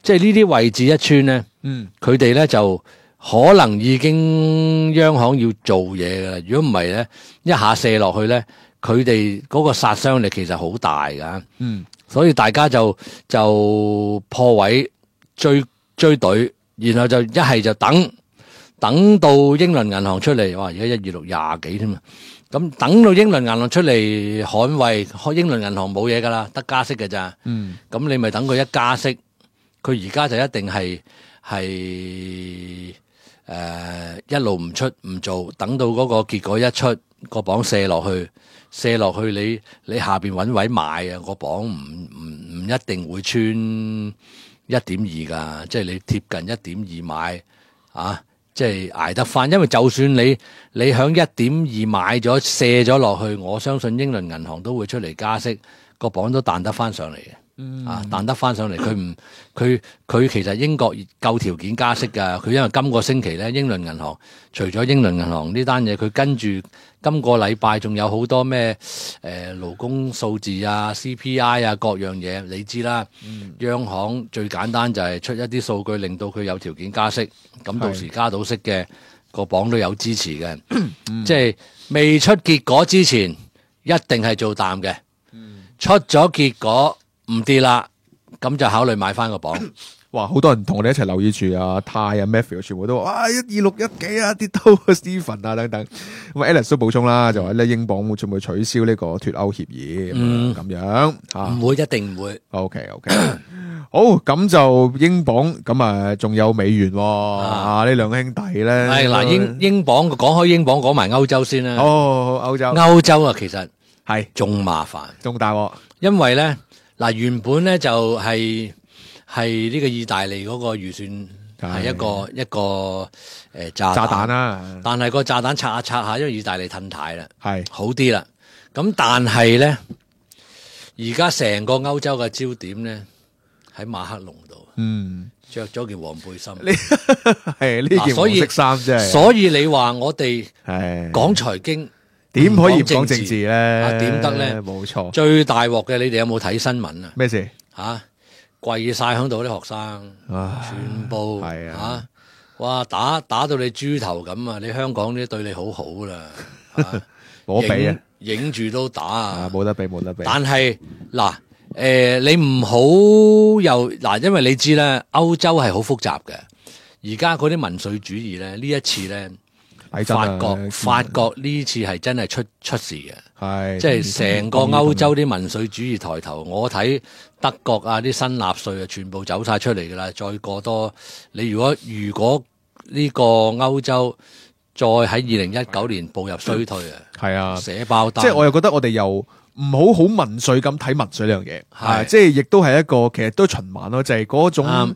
即係呢啲位置一穿咧，嗯，佢哋咧就可能已經央行要做嘢噶啦。如果唔係咧，一下射落去咧，佢哋嗰個殺傷力其實好大噶。嗯，所以大家就就破位追追隊，然後就一係就等等到英倫銀行出嚟，哇！而家一二六廿幾添啊！咁等到英倫銀行出嚟捍衛，英倫銀行冇嘢噶啦，得加息嘅咋。嗯，咁你咪等佢一加息。佢而家就一定係係誒一路唔出唔做，等到嗰個結果一出，個磅射落去，射落去你你下邊揾位買啊，個磅唔唔唔一定會穿一點二噶，即係你貼近一點二買啊，即係捱得翻。因為就算你你響一點二買咗射咗落去，我相信英倫銀行都會出嚟加息，個磅都彈得翻上嚟嘅。嗯、啊，彈得翻上嚟，佢唔，佢佢其實英國夠條件加息㗎。佢因為今個星期咧，英倫銀行除咗英倫銀行呢單嘢，佢跟住今個禮拜仲有好多咩誒勞工數字啊、C P I 啊各樣嘢，你知啦。嗯、央行最簡單就係出一啲數據，令到佢有條件加息。咁到時加到息嘅個磅都有支持嘅，嗯、即係未出結果之前，一定係做淡嘅。嗯、出咗結果。唔跌啦，咁就考慮買翻個磅。哇！好多人同我哋一齊留意住啊，泰啊 Matthew 全部都話啊一二六一幾啊，跌到 Stephen 啊等等。咁啊 Alex 都補充啦，就話咧英鎊會唔會取消呢個脫歐協議咁、嗯、樣吓？唔會，一定唔會。OK OK，好，咁就英鎊咁啊，仲有美元喎啊！呢兩兄弟咧，係嗱英英鎊講開英鎊講埋歐洲先啦。哦，歐洲歐洲啊，其實係仲麻煩，仲大鑊，因為咧。嗱，原本咧就係係呢個意大利嗰個預算係一個一個誒、呃、炸炸彈啦，但係個炸彈拆下拆下，因為意大利褪軚啦，係是好啲啦。咁但係咧，而家成個歐洲嘅焦點咧喺馬克龍度，嗯，着咗件黃背心，係呢件黃色衫啫。所以你話我哋係講財經。點可以講政治咧？點得咧？冇錯，最大鑊嘅，你哋有冇睇新聞啊？咩事？吓跪晒響度啲學生，全部係啊！哇，打打到你豬頭咁啊！你香港啲對你好好啦，冇得比啊！影住都打啊！冇得比，冇得比。但係嗱，誒，你唔好又嗱，因為你知咧，歐洲係好複雜嘅。而家嗰啲民粹主義咧，呢一次咧。法國法國呢次係真係出出事嘅，係即係成個歐洲啲民粹主義抬頭。我睇德國啊啲新納粹啊，全部走晒出嚟噶啦。再過多，你如果如果呢個歐洲再喺二零一九年步入衰退啊，係啊，寫包單。即係我又覺得我哋又唔好好民粹咁睇民粹呢樣嘢，係即係亦都係一個其實都循環咯，就係嗰種。嗯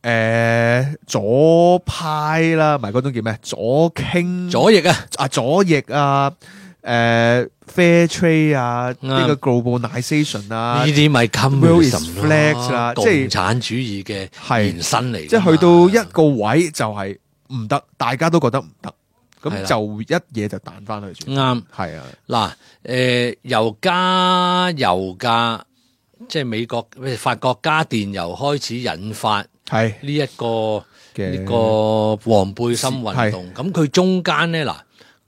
誒、呃，左派啦，唔係嗰種叫咩？左傾左翼啊，啊左翼啊，誒、呃、，fair trade 啊，呢、嗯、個 globalization 啊，呢啲咪 communism 啦，即係共產主義嘅延伸嚟。即係去到一個位就係唔得，大家都覺得唔得，咁就一嘢就彈翻去。啱，係啊。嗱，誒、呃，油加油價，即係美國法國加電油開始引發。係呢一個呢個黃背心運動，咁佢中間咧嗱，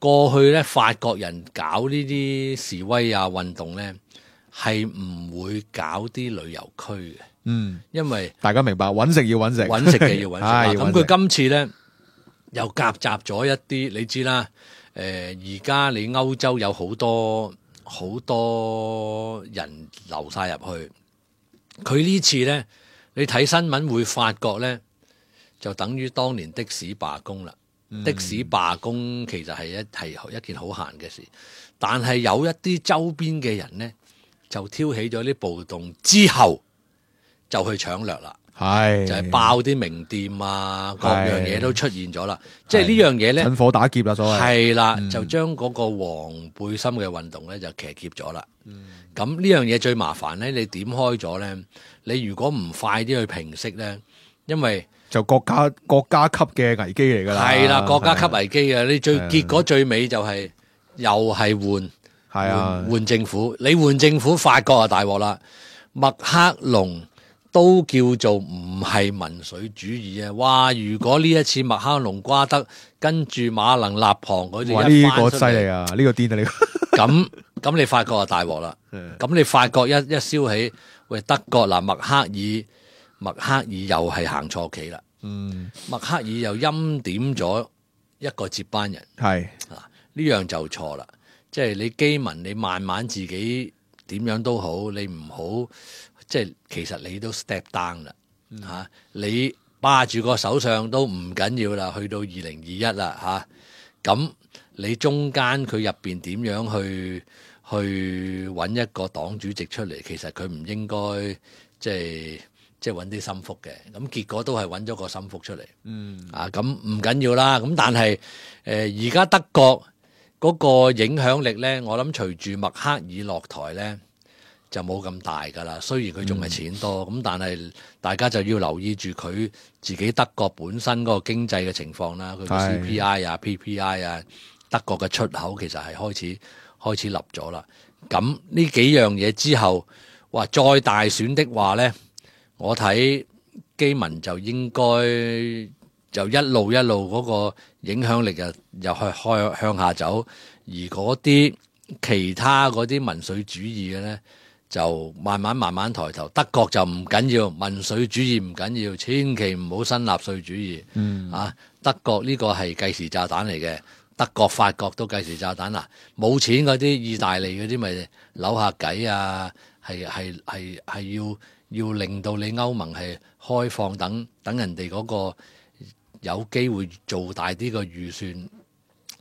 過去咧法國人搞呢啲示威啊運動咧，係唔會搞啲旅遊區嘅，嗯，因為大家明白揾食要揾食，揾食嘅要揾食。咁佢今次咧又夾雜咗一啲，你知啦，誒而家你歐洲有好多好多人流晒入去，佢呢次咧。你睇新聞會發覺咧，就等於當年的士罷工啦。嗯、的士罷工其實係一係一件好閒嘅事，但係有一啲周邊嘅人咧，就挑起咗啲暴動之後，就去搶掠啦。係就係爆啲名店啊，各樣嘢都出現咗啦。即係呢樣嘢咧，趁火打劫啦，所謂係啦，嗯、就將嗰個黃背心嘅運動咧就騎劫咗啦。咁呢、嗯、樣嘢最麻煩咧，你點開咗咧？你如果唔快啲去平息咧，因為就國家國家級嘅危機嚟噶啦，係啦，國家級危機啊！你最結果最尾就係、是、又係換係啊，換政府，你換政府，法國啊大鑊啦，麥克龍都叫做唔係民粹主義啊！哇！如果呢一次麥克龍瓜得，跟住馬能立旁嗰啲，哇！呢個犀利啊，呢個癲啊，呢個咁咁你法國啊大鑊啦，咁你法國一一燒起，喂德國嗱麥克爾，麥克爾又係行錯棋啦，嗯，麥克爾又欽點咗一個接班人，係啊呢樣就錯啦，即係你基民你慢慢自己點樣都好，你唔好。即係其實你都 step down 啦，嚇、啊、你霸住個首相都唔緊要啦，去到二零二一啦嚇，咁、啊、你中間佢入邊點樣去去揾一個黨主席出嚟？其實佢唔應該即係即係揾啲心腹嘅，咁結果都係揾咗個心腹出嚟，嗯啊咁唔緊要啦，咁但係誒而家德國嗰個影響力咧，我諗隨住默克爾落台咧。就冇咁大㗎啦，雖然佢仲係錢多，咁、嗯、但係大家就要留意住佢自己德國本身嗰個經濟嘅情況啦，佢嘅 C P I 啊、P P I 啊，德國嘅出口其實係開始開始立咗啦。咁呢幾樣嘢之後，哇！再大選的話咧，我睇基民就應該就一路一路嗰個影響力又又去開向下走，而嗰啲其他嗰啲民粹主義嘅咧。就慢慢慢慢抬頭，德國就唔緊要，民粹主義唔緊要，千祈唔好新納粹主義。嗯啊，德國呢個係計時炸彈嚟嘅，德國法國都計時炸彈啦。冇錢嗰啲，意大利嗰啲咪扭下計啊，係係係係要要令到你歐盟係開放，等等人哋嗰個有機會做大啲個預算。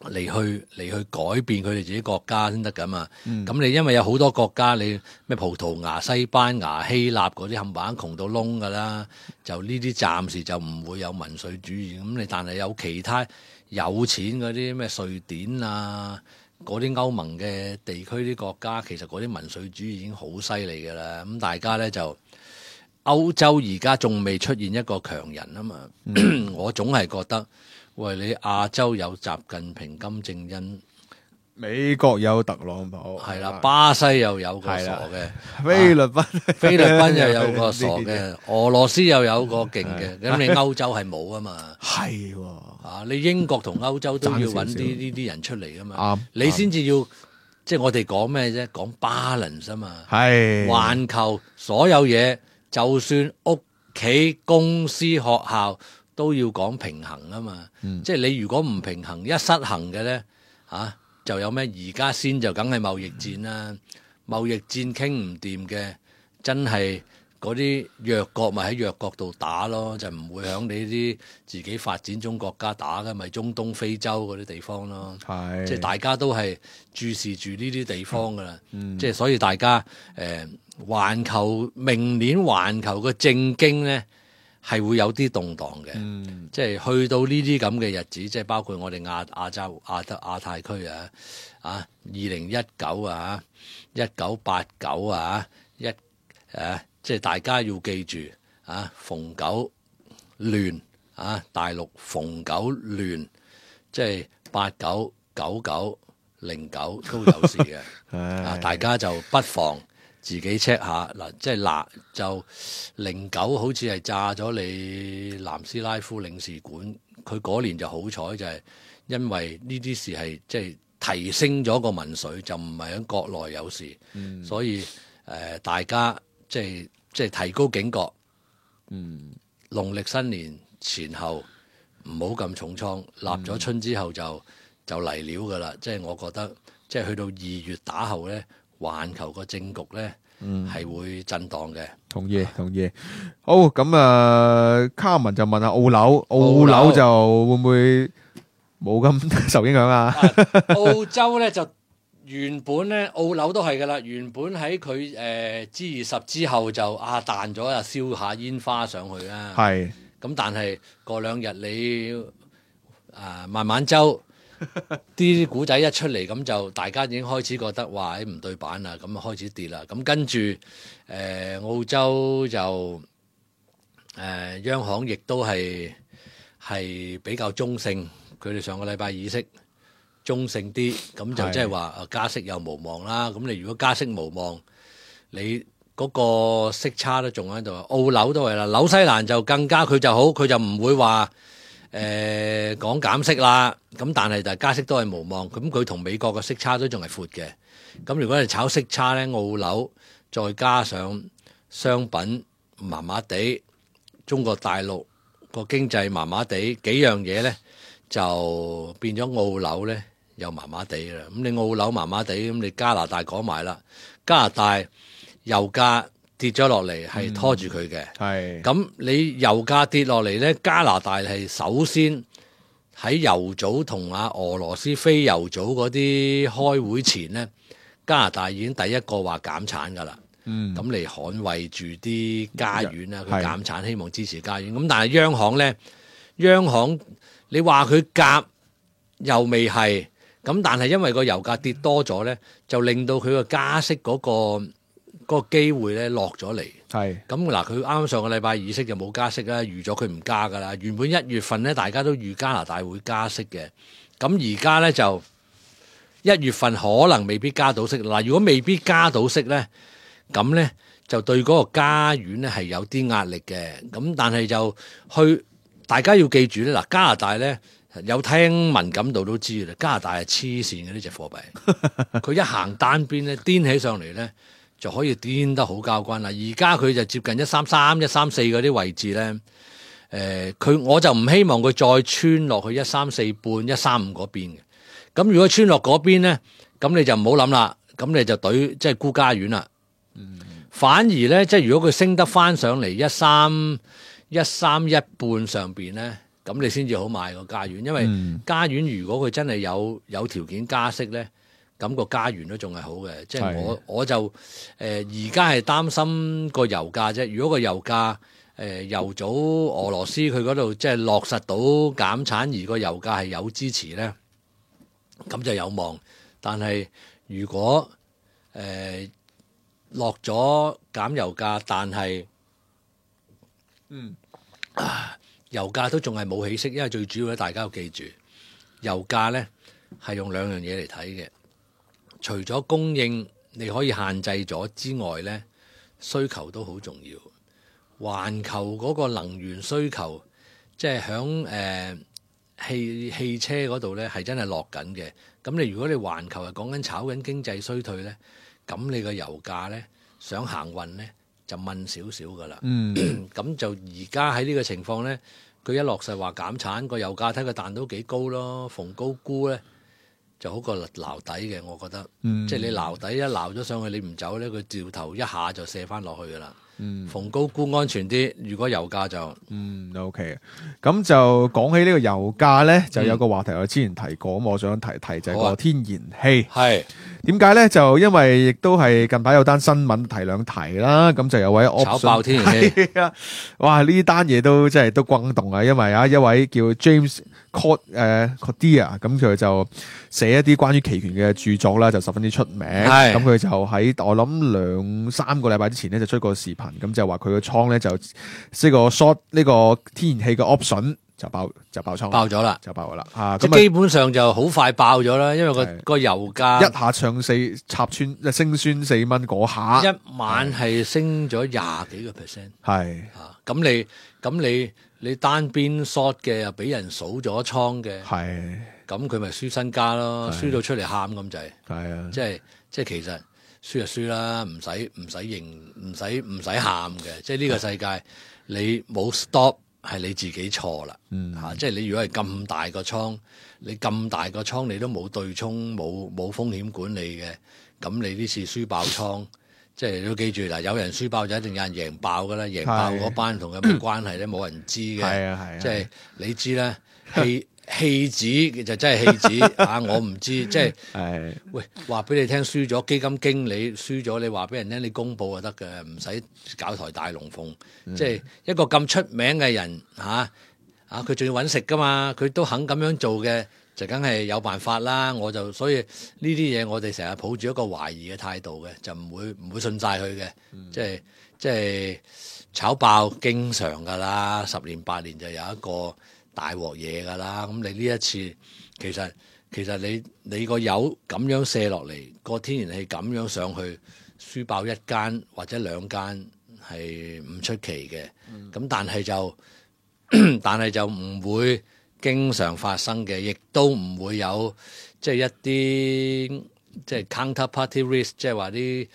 嚟去嚟去改變佢哋自己國家先得㗎嘛，咁、嗯、你因為有好多國家，你咩葡萄牙、西班牙、希臘嗰啲冚唪唥窮到窿㗎啦，就呢啲暫時就唔會有民粹主義，咁你但係有其他有錢嗰啲咩瑞典啊，嗰啲歐盟嘅地區啲國家，其實嗰啲民粹主義已經好犀利㗎啦，咁大家咧就歐洲而家仲未出現一個強人啊嘛，嗯、我總係覺得。喂，你亞洲有習近平、金正恩，美國有特朗普，係啦，巴西又有個傻嘅，菲律賓、啊、菲律賓又有個傻嘅，俄羅斯又有個勁嘅，咁你歐洲係冇啊嘛？係喎，啊，你英國同歐洲都要揾啲呢啲人出嚟噶嘛？你先至要，即係我哋講咩啫？講 balance 啊嘛，係環球所有嘢，就算屋企、公司、學校。都要講平衡啊嘛，嗯、即係你如果唔平衡，一失衡嘅咧嚇，就有咩？而家先就梗係貿易戰啦，貿易戰傾唔掂嘅，真係嗰啲弱國咪喺弱國度打咯，就唔會響你啲自己發展中國家打嘅，咪中東、非洲嗰啲地方咯。係，即係大家都係注視住呢啲地方噶啦，嗯、即係所以大家誒、呃，環球明年環球嘅政經咧。係會有啲動盪嘅，嗯、即係去到呢啲咁嘅日子，即係包括我哋亞亞洲亞德亞太區啊，啊二零一九啊，一九八九啊，一誒、啊，即係大家要記住啊，逢九亂啊，大陸逢九亂，即係八九九九零九都有事嘅，啊，大家就不妨。自己 check 下嗱，即係嗱就零九好似係炸咗你南斯拉夫領事館，佢嗰年就好彩就係因為呢啲事係即係提升咗個民粹，就唔係喺國內有事，嗯、所以誒、呃、大家即係即係提高警覺，嗯，農曆新年前後唔好咁重倉，立咗春之後就、嗯、就嚟料㗎啦，即係我覺得即係去到二月打後咧。環球個政局咧，係、嗯、會震盪嘅。同意，同意。好，咁啊，卡文就問下澳紐，澳紐就會唔會冇咁受影響啊？澳洲咧就原本咧，澳紐都係噶啦。原本喺佢誒 G 二十之後就啊彈咗啊，燒下煙花上去啦。係是。咁但係過兩日你啊慢慢周。啲古仔一出嚟，咁就大家已經開始覺得哇，唔對版啦，咁啊開始跌啦。咁跟住誒、呃、澳洲就誒、呃、央行亦都係係比較中性，佢哋上個禮拜議息中性啲，咁就即係話加息又無望啦。咁你如果加息無望，你嗰個息差都仲喺度。澳紐都係啦，紐西蘭就更加佢就好，佢就唔會話誒講減息啦。咁但係就加息都係無望。咁佢同美國嘅息差都仲係闊嘅。咁如果你炒息差咧，澳紐再加上商品麻麻地，中國大陸個經濟麻麻地，幾樣嘢咧就變咗澳紐咧又麻麻地啦。咁你澳紐麻麻地，咁你加拿大講埋啦，加拿大油價跌咗落嚟係拖住佢嘅。係咁、嗯、你油價跌落嚟咧，加拿大係首先喺油組同啊俄羅斯非油組嗰啲開會前咧，加拿大已經第一個話減產㗎啦。嗯，咁嚟捍衛住啲家園啦，佢減產希望支持家園。咁但係央行咧，央行你話佢夾又未係，咁但係因為個油價跌多咗咧，就令到佢個加息嗰、嗰個嗰個機會咧落咗嚟。係咁嗱，佢啱啱上個禮拜議息就冇加息啦，預咗佢唔加㗎啦。原本一月份咧，大家都預加拿大會加息嘅，咁而家咧就一月份可能未必加到息。嗱，如果未必加到息咧，咁咧就對嗰個加元咧係有啲壓力嘅，咁但係就去大家要記住咧，嗱加拿大咧有聽敏感度都知嘅啦，加拿大係黐線嘅呢隻貨幣，佢一行單邊咧癲起上嚟咧就可以癲得好交關啦。而家佢就接近一三三、一三四嗰啲位置咧，誒、呃、佢我就唔希望佢再穿落去一三四半、一三五嗰邊嘅。咁如果穿落嗰邊咧，咁你就唔好諗啦，咁你就懟即係沽加元啦。嗯、反而咧，即係如果佢升得翻上嚟一三一三一半上邊咧，咁你先至好買個加元，因為加元如果佢真係有有條件加息咧，咁個加元都仲係好嘅。即係我我就誒而家係擔心個油價啫。如果個油價誒、呃、油組俄羅斯佢嗰度即係落實到減產，而個油價係有支持咧，咁就有望。但係如果誒、呃落咗減油價，但係嗯啊，油價都仲係冇起色，因為最主要咧，大家要記住，油價咧係用兩樣嘢嚟睇嘅。除咗供應你可以限制咗之外咧，需求都好重要。環球嗰個能源需求，即係響誒汽汽車嗰度咧，係真係落緊嘅。咁你如果你環球係講緊炒緊經濟衰退咧，咁你個油價咧想行運咧就問少少噶啦。嗯，咁就而家喺呢個情況咧，佢一落實話減產，個油價睇佢彈到幾高咯，逢高沽咧就好過撈底嘅，我覺得。嗯，即係你撈底一撈咗上去，你唔走咧，佢掉頭一下就射翻落去噶啦。嗯，逢高沽安全啲。如果油價就嗯 OK，咁就講起呢個油價咧，就有個話題我之前提過，咁、嗯、我想提提就係個天然氣。係點解咧？就因為亦都係近排有單新聞提兩提啦，咁就有位 option, 炒爆天然氣啊！哇，呢單嘢都真係都轟動啊！因為啊，一位叫 James Cord 誒 Cordia，咁佢就寫一啲關於期權嘅著作啦，就十分之出名。咁佢就喺我諗兩三個禮拜之前咧，就出過視頻。咁就話佢個倉咧就呢個 short 呢個天然氣嘅 option 就爆就爆倉爆咗啦，就爆咗啦啊！即係基本上就好快爆咗啦，因為個個油價一下唱四插穿升穿四蚊嗰下，一晚係升咗廿幾個 percent。係啊，咁你咁你你單邊 short 嘅又俾人數咗倉嘅，係咁佢咪輸身家咯，輸到出嚟喊咁滯。係啊，即係即係其實。輸就輸啦，唔使唔使認，唔使唔使喊嘅。即係呢個世界，你冇 stop 係你自己錯啦。嗯，嚇、啊，即係你如果係咁大個倉，你咁大個倉你都冇對沖，冇冇風險管理嘅，咁你呢次輸爆倉，即係你都記住嗱，有人輸爆就一定有人贏爆噶啦，贏爆嗰班同佢冇關係咧，冇人知嘅。係啊係啊，即係你知啦，氣。戲子就真係戲子啊！我唔知，即係喂話俾你聽，輸咗基金經理輸咗，你話俾人聽，你公佈就得嘅，唔使搞台大龍鳳。嗯、即係一個咁出名嘅人嚇啊！佢仲要揾食噶嘛，佢都肯咁樣做嘅，就梗係有辦法啦。我就所以呢啲嘢，我哋成日抱住一個懷疑嘅態度嘅，就唔會唔會信晒佢嘅。嗯、即係即係炒爆經常噶啦，十年八年就有一個大鑊嘢㗎啦，咁你呢一次其實其實你你個油咁樣卸落嚟，個天然氣咁樣上去，輸爆一間或者兩間係唔出奇嘅。咁、嗯、但係就但係就唔會經常發生嘅，亦都唔會有即係一啲即係 counterparty risk，即係話啲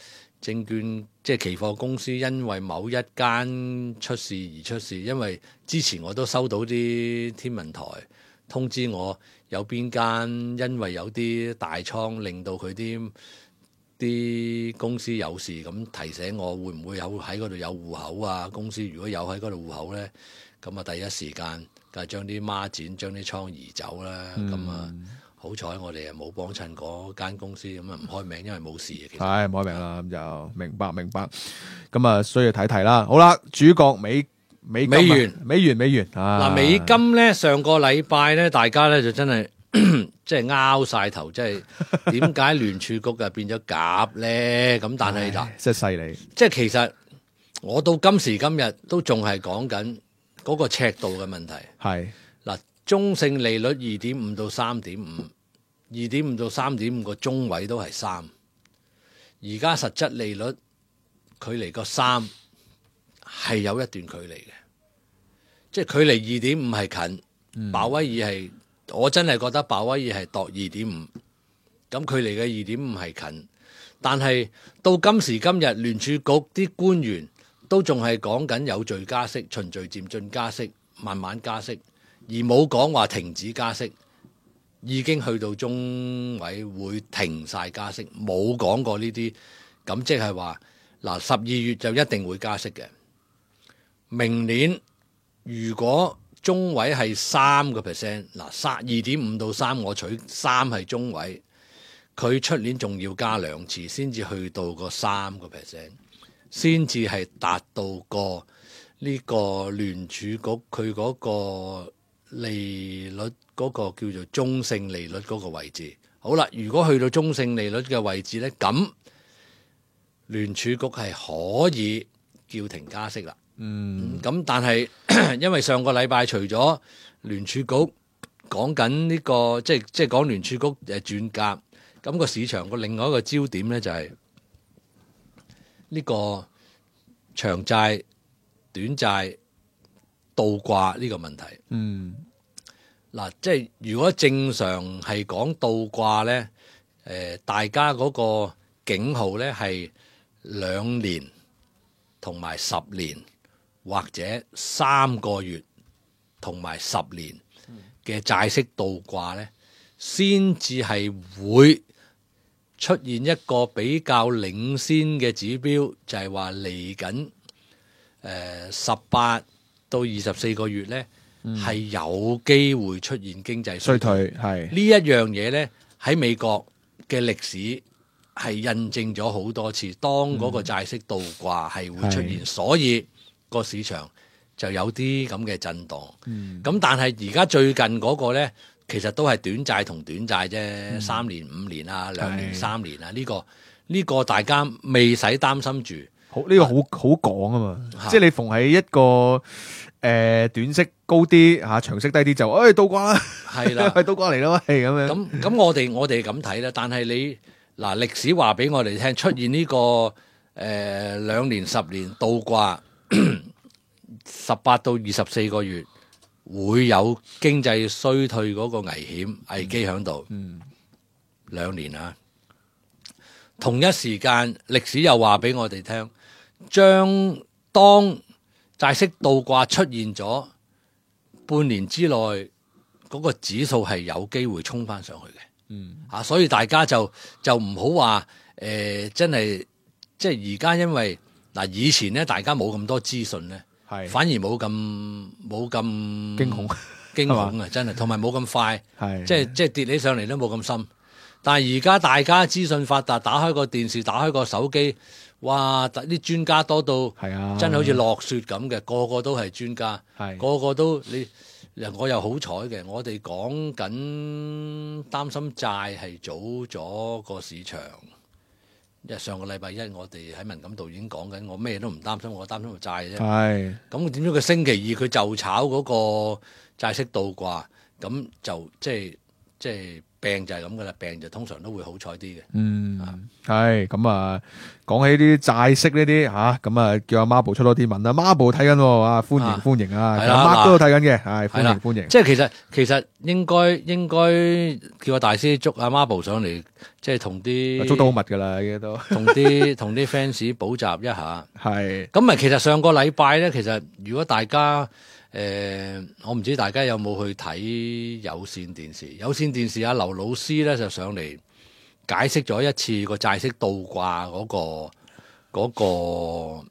證券即係期貨公司因為某一間出事而出事。因為之前我都收到啲天文台通知我，有邊間因為有啲大倉令到佢啲啲公司有事，咁提醒我會唔會有喺嗰度有戶口啊？公司如果有喺嗰度戶口咧，咁啊第一時間就係將啲孖展、將啲倉移走啦。咁啊、嗯、好彩我哋啊冇幫襯嗰間公司，咁啊唔開名，因為冇事嘅。係唔開名啦，咁就明白明白。咁啊需要睇睇啦。好啦，主角美。美金、啊、美元美元美元啊！嗱，美金咧上個禮拜咧，大家咧就真係即係拗晒頭，即係點解聯儲局就變咗鴿咧？咁但係嗱，真係犀利！即係其實我到今時今日都仲係講緊嗰個尺度嘅問題。係嗱，中性利率二點五到三點五，二點五到三點五個中位都係三，而家實質利率距離個三係有一段距離嘅。即係距離二點五係近，嗯、鮑威爾係我真係覺得鮑威爾係度二點五，咁距離嘅二點五係近，但係到今時今日聯儲局啲官員都仲係講緊有序加息、循序漸進加息、慢慢加息，而冇講話停止加息，已經去到中委會停晒加息，冇講過呢啲，咁即係話嗱十二月就一定會加息嘅，明年。如果中位係三個 percent， 嗱，三二點五到三，我取三係中位，佢出年仲要加兩次，先至去到個三個 percent， 先至係達到個呢個聯儲局佢嗰個利率嗰個叫做中性利率嗰個位置。好啦，如果去到中性利率嘅位置咧，咁聯儲局係可以叫停加息啦。嗯，咁但係因為上個禮拜除咗聯儲局講緊呢個，即係即係講聯儲局誒轉鴿，咁個市場個另外一個焦點咧就係呢個長債、短債倒掛呢個問題。嗯，嗱，即係如果正常係講倒掛咧，誒，大家嗰個警號咧係兩年同埋十年。或者三個月同埋十年嘅債息倒掛咧，先至係會出現一個比較領先嘅指標，就係話嚟緊誒十八到二十四個月咧，係、嗯、有機會出現經濟衰退。係呢一樣嘢咧，喺美國嘅歷史係印證咗好多次，當嗰個債息倒掛係會出現，所以個市場就有啲咁嘅震盪，咁、嗯、但係而家最近嗰個咧，其實都係短債同短債啫，嗯、三年、五年啊，兩年、三年啊，呢、呢個呢、呢個大家未使擔心住。好，呢、呢個好好講啊嘛，啊即係你逢喺一個誒、呃、短息高啲嚇、啊，長息低啲就，誒倒掛啦，係啦，係倒掛嚟咯，係咁樣。咁咁我哋我哋咁睇啦，但係你嗱歷史話俾我哋聽，出現呢、呢個誒兩、呃、年、十年倒掛。十八到二十四個月會有經濟衰退嗰個危險危機喺度，嗯，兩年啊，同一時間歷史又話俾我哋聽，將當債息倒掛出現咗半年之內，嗰個指數係有機會衝翻上去嘅，嗯，啊，所以大家就就唔好話誒，真係即係而家因為。嗱，以前咧大家冇咁多資訊咧，係反而冇咁冇咁驚恐驚恐啊！真係，同埋冇咁快，係即係即係跌起上嚟都冇咁深。但係而家大家資訊發達，打開個電視，打開個手機，哇！啲專家多到係啊，真係好似落雪咁嘅，個個都係專家，係個個都你。我又好彩嘅，我哋講緊擔心債係早咗個市場。因上個禮拜一，我哋喺文錦渡已經講緊，我咩都唔擔心，我擔心個債啫。係咁點知佢星期二佢就炒嗰個債息倒掛，咁就即係即係病就係咁噶啦，病就通常都會好彩啲嘅。嗯，係咁啊，講起啲債息呢啲吓，咁啊叫阿 Marble 出多啲文啦。Marble 睇緊啊，歡迎歡迎啊，係啦，Mark 都睇緊嘅，係歡迎歡迎。即係其實其實應該應該叫阿大師捉阿 Marble 上嚟，即係同啲捉到好密噶啦，依家都同啲同啲 fans 補習一下。係咁咪其實上個禮拜咧，其實如果大家誒、呃，我唔知大家有冇去睇有線電視？有線電視阿劉老師咧就上嚟解釋咗一次個債息倒掛嗰、嗰個嗰、嗰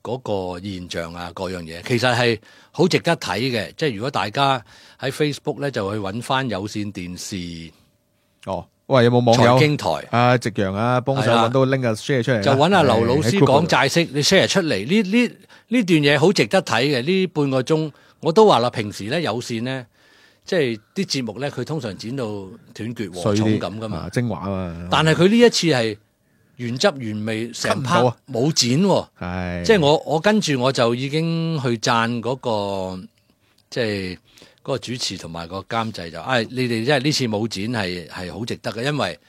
個嗰、嗰個現象啊，各樣嘢其實係好值得睇嘅。即係如果大家喺 Facebook 咧就去揾翻有線電視哦。喂，有冇網友財經台啊？夕陽啊，幫手揾到拎個 share 出嚟，就揾阿劉老師講債息，你 share 出嚟呢呢呢段嘢好值得睇嘅。呢半個鐘我都話啦，平時咧有線咧，即係啲節目咧，佢通常剪到斷絕和重咁噶嘛，精華啊嘛。但係佢呢一次係原汁原味，成 part 冇剪喎，係即係我我跟住我就已經去讚嗰個即係。嗰個主持同埋個監製就，唉、哎，你哋即係呢次冇剪係係好值得嘅，因為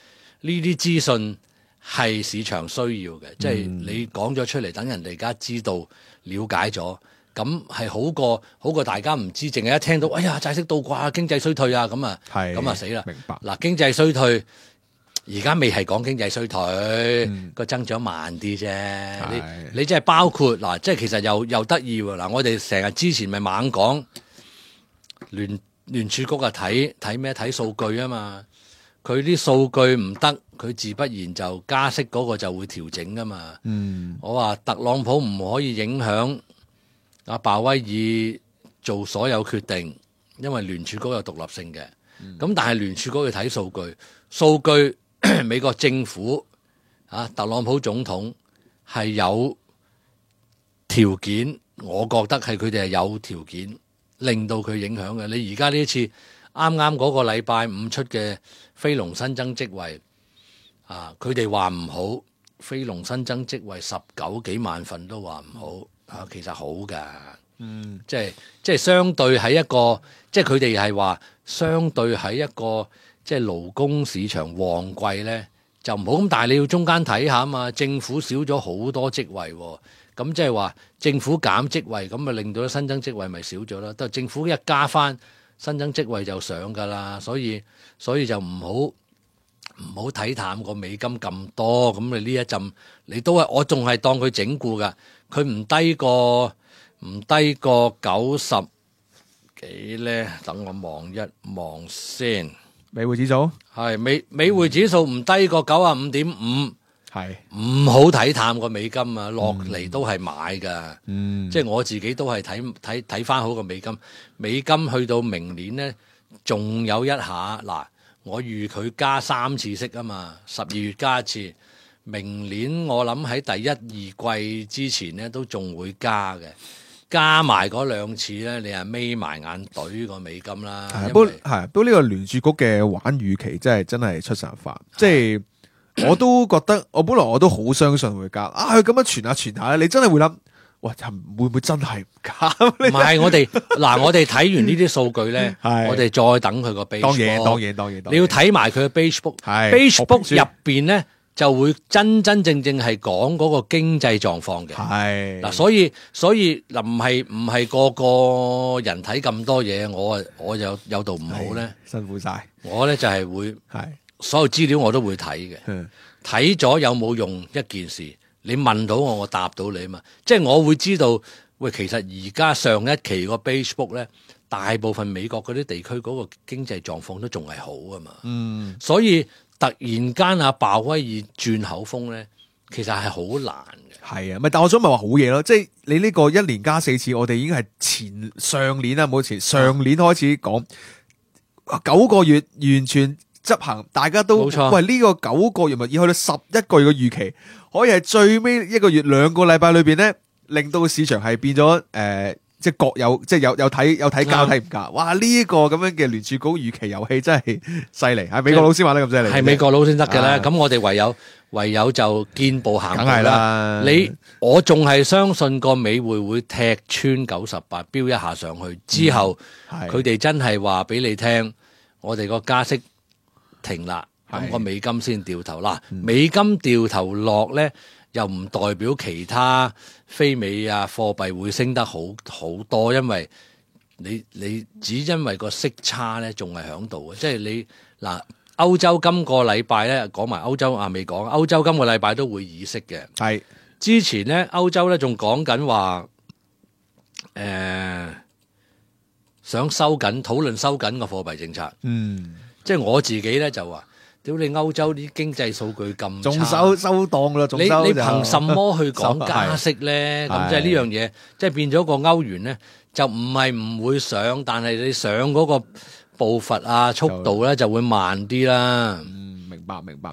呢啲資訊係市場需要嘅，即係、嗯、你講咗出嚟，等人哋而家知道、了解咗，咁係好過好過大家唔知，淨係一聽到，哎呀，債息倒掛、經濟衰退啊，咁啊，咁啊死啦！明白嗱，經濟衰退而家未係講經濟衰退，個、嗯、增長慢啲啫。你你即係包括嗱，即係其實又又得意喎。嗱，我哋成日之前咪猛講。聯聯儲局啊，睇睇咩？睇數據啊嘛，佢啲數據唔得，佢自不然就加息嗰個就會調整噶嘛。嗯，我話特朗普唔可以影響阿鮑威爾做所有決定，因為聯儲局有獨立性嘅。咁、嗯、但係聯儲局要睇數據，數據美國政府啊，特朗普總統係有條件，我覺得係佢哋係有條件。令到佢影響嘅，你而家呢一次啱啱嗰個禮拜五出嘅非農新增職位啊，佢哋話唔好，非農新增職位十九幾萬份都話唔好啊，其實好㗎，嗯，即係即係相對喺一個，即係佢哋係話相對喺一個即係勞工市場旺季咧就唔好咁，但係你要中間睇下啊嘛，政府少咗好多職位喎。咁即係話政府減職位，咁咪令到新增職位咪少咗啦。但係政府一加翻新增職位就上噶啦，所以所以就唔好唔好睇淡個美金咁多。咁你呢一陣你都係我仲係當佢整固噶，佢唔低過唔低過九十幾咧。等我望一望先，美匯指數係美美匯指數唔低過九啊五點五。係唔好睇淡個美金啊，落嚟都係買噶，嗯、即係我自己都係睇睇睇翻好個美金。美金去到明年咧，仲有一下嗱，我預佢加三次息啊嘛，十二月加一次，明年我諗喺第一二季之前咧都仲會加嘅，加埋嗰兩次咧，你係眯埋眼懟個美金啦。不過係，不過呢個聯儲局嘅玩預期真係真係出神入化，即係。我都覺得，我本來我都好相信會加，啊佢咁樣傳下傳下咧，你真係會諗，哇會唔會真係唔加？唔係我哋嗱，我哋睇完呢啲數據咧，我哋再等佢個 base。當然當然當然，你要睇埋佢嘅 base book，base book 入邊咧就會真真正正係講嗰個經濟狀況嘅。係嗱，所以所以嗱唔係唔係個個人睇咁多嘢，我啊我就有度唔好咧，辛苦晒。我咧就係會係。所有資料我都會睇嘅，睇咗有冇用一件事，你問到我，我答到你啊嘛。即係我會知道，喂，其實而家上一期個 base book 咧，大部分美國嗰啲地區嗰個經濟狀況都仲係好啊嘛。嗯，所以突然間阿鮑威爾轉口風咧，其實係好難嘅。係啊，咪但我想咪話好嘢咯，即係你呢個一年加四次，我哋已經係前上年啊，冇前上年開始講九個月完全。執行大家都冇錯喂呢、這個九個月咪要去到十一個月嘅預期，可以係最尾一個月兩個禮拜裏邊咧，令到市場係變咗誒、呃，即係各有即係有有睇有睇加睇唔加，哇呢、這個咁樣嘅聯儲局預期遊戲真係犀利，係美國老師玩得咁犀利，係美國佬先得嘅咧。咁、啊、我哋唯有唯有就見步行步啦。你我仲係相信個美匯會踢穿九十八，飆一下上去之後，佢哋、嗯、真係話俾你聽，我哋個加息。停啦，咁係個美金先掉頭啦。美金掉頭落咧，又唔代表其他非美啊貨幣會升得好好多，因為你你只因為個息差咧仲係喺度嘅，即係你嗱歐洲今個禮拜咧講埋歐洲啊未講，歐洲今個禮拜都會議息嘅。係之前咧歐洲咧仲講緊話誒想收緊討論收緊個貨幣政策，嗯，即係我自己咧就話，屌你歐洲啲經濟數據咁仲差，收收檔啦，仲你收就你憑什麼去講加息咧？咁即係呢樣嘢，即係變咗個歐元咧，就唔係唔會上，但係你上嗰個步伐啊、速度咧就會慢啲啦。嗯，明白明白。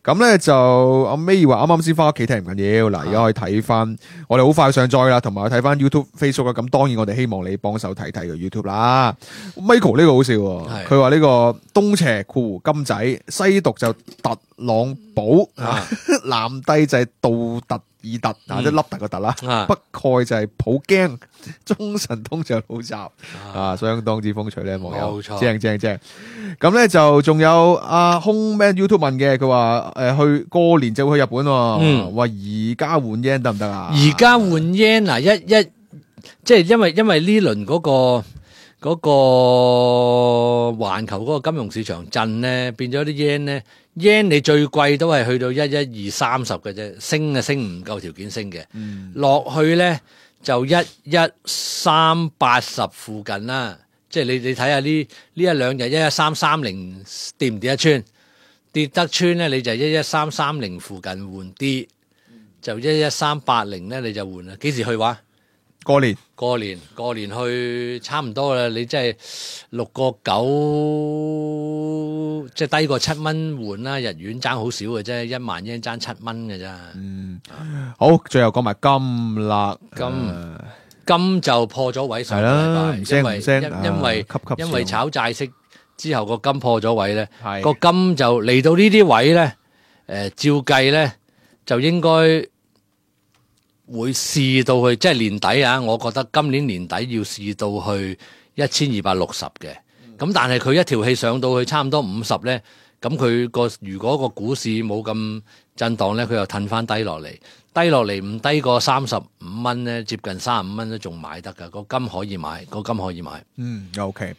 咁咧就阿 May 話啱啱先翻屋企睇唔緊要，嗱而家可以睇翻，我哋好快上載啦，同埋睇翻 YouTube、Facebook 啦。咁當然我哋希望你幫手睇睇個 YouTube 啦。Michael 呢個好笑喎，佢話呢個東邪括弧金仔，西讀就特朗普，啊南帝就係杜特爾特，啊即係凹凸個突啦，啊北蓋就係普京，中神通就老習，啊相當之風趣咧，網友冇錯正正正。咁咧就仲有阿 Home Man YouTube 問嘅，佢話誒去過年就會去日本喎，嗯話而家換 yen 得唔得啊？而家換 yen 嗱，一一即係因為因為呢輪嗰個嗰個環球嗰個金融市場震咧，變咗啲 yen 咧，yen 你最貴都係去到一一二三十嘅啫，升啊升唔夠條件升嘅，落去咧就一一三八十附近啦。即係你你睇下呢呢一兩日一一三三零跌唔跌得穿？跌得穿咧，你就一一三三零附近換啲，就一一三八零咧你就換啦。幾時去話？過年過年過年去差唔多啦。你即係六個九，即係低過七蚊換啦。日元爭好少嘅啫，一萬英爭七蚊嘅咋。好，最後講埋金啦，金誒金就破咗位上個係啦禮拜，唔聲因為唔聲因因為啊級級因為炒債息之後個金破咗位咧，係個金就嚟到呢啲位咧，誒照計咧就應該會試到去，即係年底啊！我覺得今年年底要試到去一千二百六十嘅，咁但係佢一條氣上到去差唔多五十咧，咁佢個如果個股市冇咁震盪咧，佢又褪翻低落嚟。低落嚟唔低過三十五蚊咧，接近三十五蚊都仲買得噶，個金可以買，個金可以買。嗯 OK，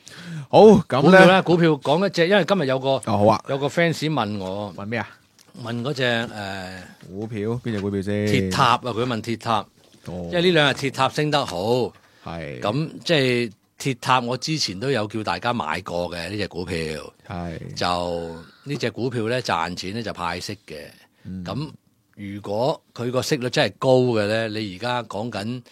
好咁咧，股票咧，股票講一隻，因為今日有個哦好啊，有個 fans 問我，問咩啊？問嗰隻誒股票邊隻股票先？鐵塔啊，佢問鐵塔，哦，因為呢兩日鐵塔升得好，係咁即係鐵塔，我之前都有叫大家買過嘅呢隻股票，係就呢隻股票咧賺錢咧就派息嘅，咁、嗯如果佢個息率真係高嘅咧，你而家講緊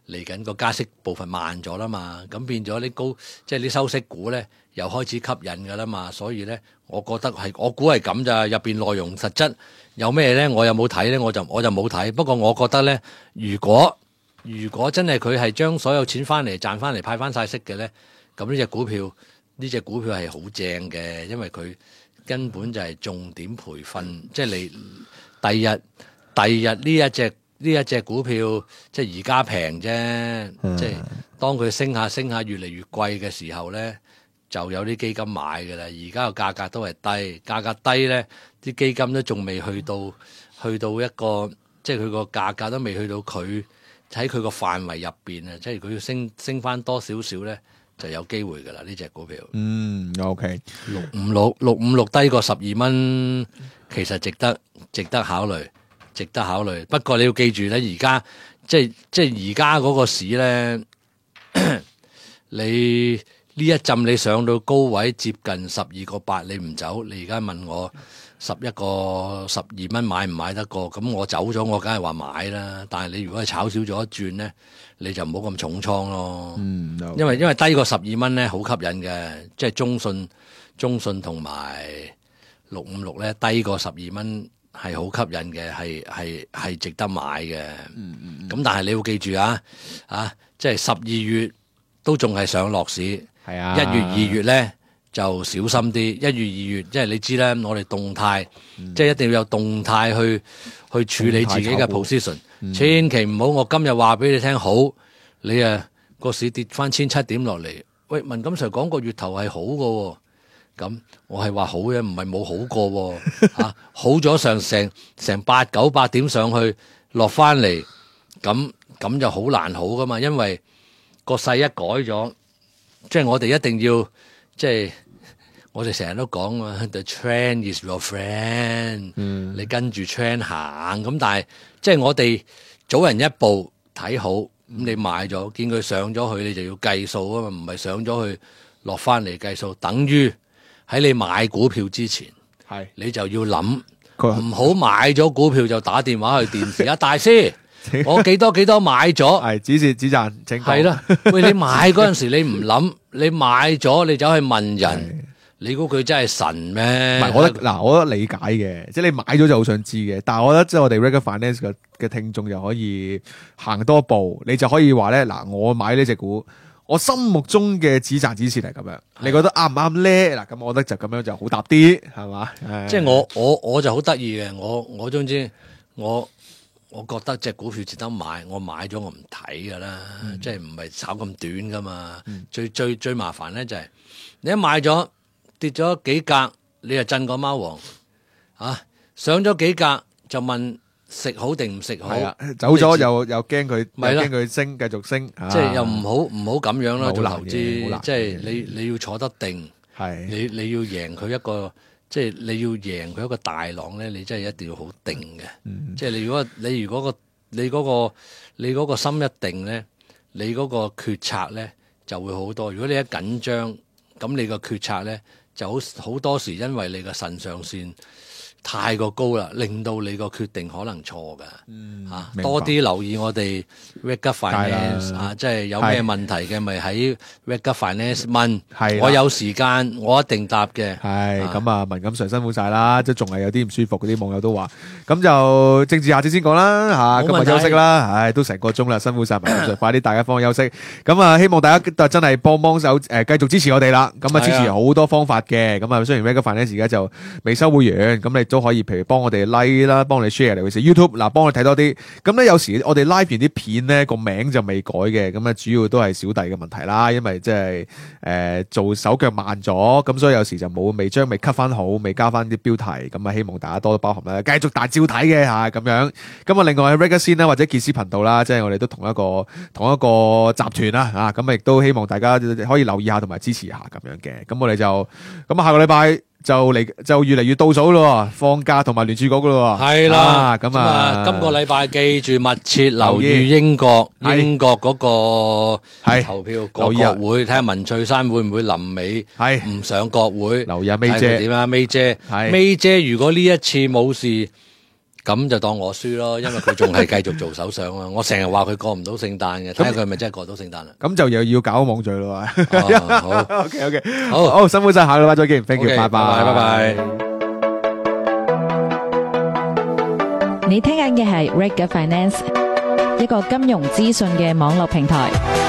嚟緊個加息部分慢咗啦嘛，咁變咗啲高即係啲收息股咧又開始吸引噶啦嘛，所以咧我覺得係我估係咁咋，入邊內容實質有咩咧，我又冇睇咧，我就我就冇睇。不過我覺得咧，如果如果真係佢係將所有錢翻嚟賺翻嚟派翻晒息嘅咧，咁呢隻股票呢隻股票係好正嘅，因為佢根本就係重點培訓，即係你。第日第日呢一隻呢一隻股票，即係而家平啫，嗯即係當佢升下升下越嚟越貴嘅時候咧，就有啲基金買㗎啦。而家個價格都係低，價格低咧，啲基金都仲未去到去到一個，即係佢個價格都未去到佢喺佢個範圍入邊啊！即係佢要升升翻多少少咧，就有機會㗎啦。呢隻股票，嗯 OK，六五六六五六低過十二蚊，其實值得值得考慮，值得考慮。不過你要記住咧，而家即係即係而家嗰個市咧，你呢一陣你上到高位接近十二個八，你唔走，你而家問我十一個十二蚊買唔買得過？咁我走咗，我梗係話買啦。但係你如果係炒少咗一轉咧，你就唔好咁重倉咯。嗯，因為因為低過十二蚊咧，好吸引嘅，即係中信、中信同埋六五六咧，低過十二蚊係好吸引嘅，係係係值得買嘅。嗯嗯。咁但係你要記住啊，啊，即係十二月都仲係上落市，係啊，一月、二月咧就小心啲。一月、二月，即係你知咧，我哋動態，嗯即係一定要有動態去去處理自己嘅動態炒股 position，嗯千祈唔好我今日話俾你聽好，你啊個市跌翻千七點落嚟，喂，文錦 Sir 講個月頭係好嘅喎，咁我係話好嘅，唔係冇好過喎、啊、好咗上成成八九百點上去落翻嚟，咁咁就好難好噶嘛，因為個勢一改咗，即係我哋一定要即係我哋成日都講啊 ，the trend is your friend，、嗯、你跟住 trend 行，咁但係即係我哋早人一步睇好，咁你買咗，見佢上咗去，你就要計數啊嘛，唔係上咗去落翻嚟計數，等於喺你買股票之前，係你就要諗，唔好買咗股票就打電話去電視啊，大師。我幾多幾多買咗，係止蝕止賺，請講。係啦，喂，你買嗰陣時你唔諗，你買咗你走去問人，你估佢真係神咩？唔係，我覺得嗱，我覺得理解嘅，即係你買咗就好想知嘅。但係我覺得即係我哋 Regular Finance 嘅嘅聽眾就可以行多步，你就可以話咧嗱，我買呢隻股，我心目中嘅止賺止蝕係咁樣，你覺得啱唔啱咧？嗱，咁我覺得就咁樣就好答啲，係嘛？即係我我我就好得意嘅，我我總之我。我覺得隻股票值得買，我買咗我唔睇噶啦，嗯、即係唔係炒咁短噶嘛。嗯、最最最麻煩咧就係、是、你一買咗跌咗幾格，你就震個貓王啊！上咗幾格就問食好定唔食好，走咗又又驚佢，又驚佢升繼續升，啊、即係又唔好唔好咁樣啦。做投資即係你你要坐得定，係你你要贏佢一個。即係你要贏佢一個大浪咧，你真係一定要好定嘅。嗯、即係你如果你如果個你嗰個你嗰個心一定咧，你嗰個決策咧就會好多。如果你一緊張，咁你個決策咧就好好多時，因為你個腎上腺太過高啦，令到你個決定可能錯噶。嗯，啊，多啲留意我哋 Regular Finance 啊，即係有咩問題嘅，咪喺 Regular Finance 問。係，我有時間，我一定答嘅。係咁啊，文錦上辛苦晒啦，即係仲係有啲唔舒服，嗰啲網友都話。咁就政治下節先講啦，吓，今日休息啦，唉，都成個鐘啦，辛苦晒文錦上，快啲大家放休息。咁啊，希望大家真係幫幫手，誒，繼續支持我哋啦。咁啊，支持好多方法嘅。咁啊，雖然 Regular Finance 而家就未收會員，咁你都可以，譬如幫我哋 like 啦，幫你 share 尤其是 YouTube 嗱，幫我睇多啲。咁咧有時我哋 live 完啲片咧個名就未改嘅，咁啊主要都係小弟嘅問題啦，因為即係誒做手腳慢咗，咁所以有時就冇未將未 cut 翻好，未加翻啲標題，咁啊希望大家多多包涵啦，繼續大照睇嘅吓咁樣。咁啊另外喺 Regular Scene 啦或者傑斯頻道啦，即係我哋都同一個同一個集團啦吓，咁啊亦都希望大家可以留意下同埋支持下咁樣嘅。咁我哋就咁啊下個禮拜。就嚟就越嚟越倒數咯，放假同埋聯儲局噶咯，係啦，咁啊，今個禮拜記住密切留意英國英國嗰個投票個國會，睇下文翠珊會唔會臨尾係唔上國會，留意阿 May 姐點啊 May 姐，May 姐如果呢一次冇事。咁就當我輸咯，因為佢仲係繼續做首相啊！我成日話佢過唔到聖誕嘅，睇下佢係咪真係過到聖誕啦？咁就又要搞網聚咯，好 ，OK OK，好好辛苦晒，下個禮拜再見 ，thank you，拜拜，拜拜。你聽緊嘅係 Regular Finance，一個金融資訊嘅網絡平台。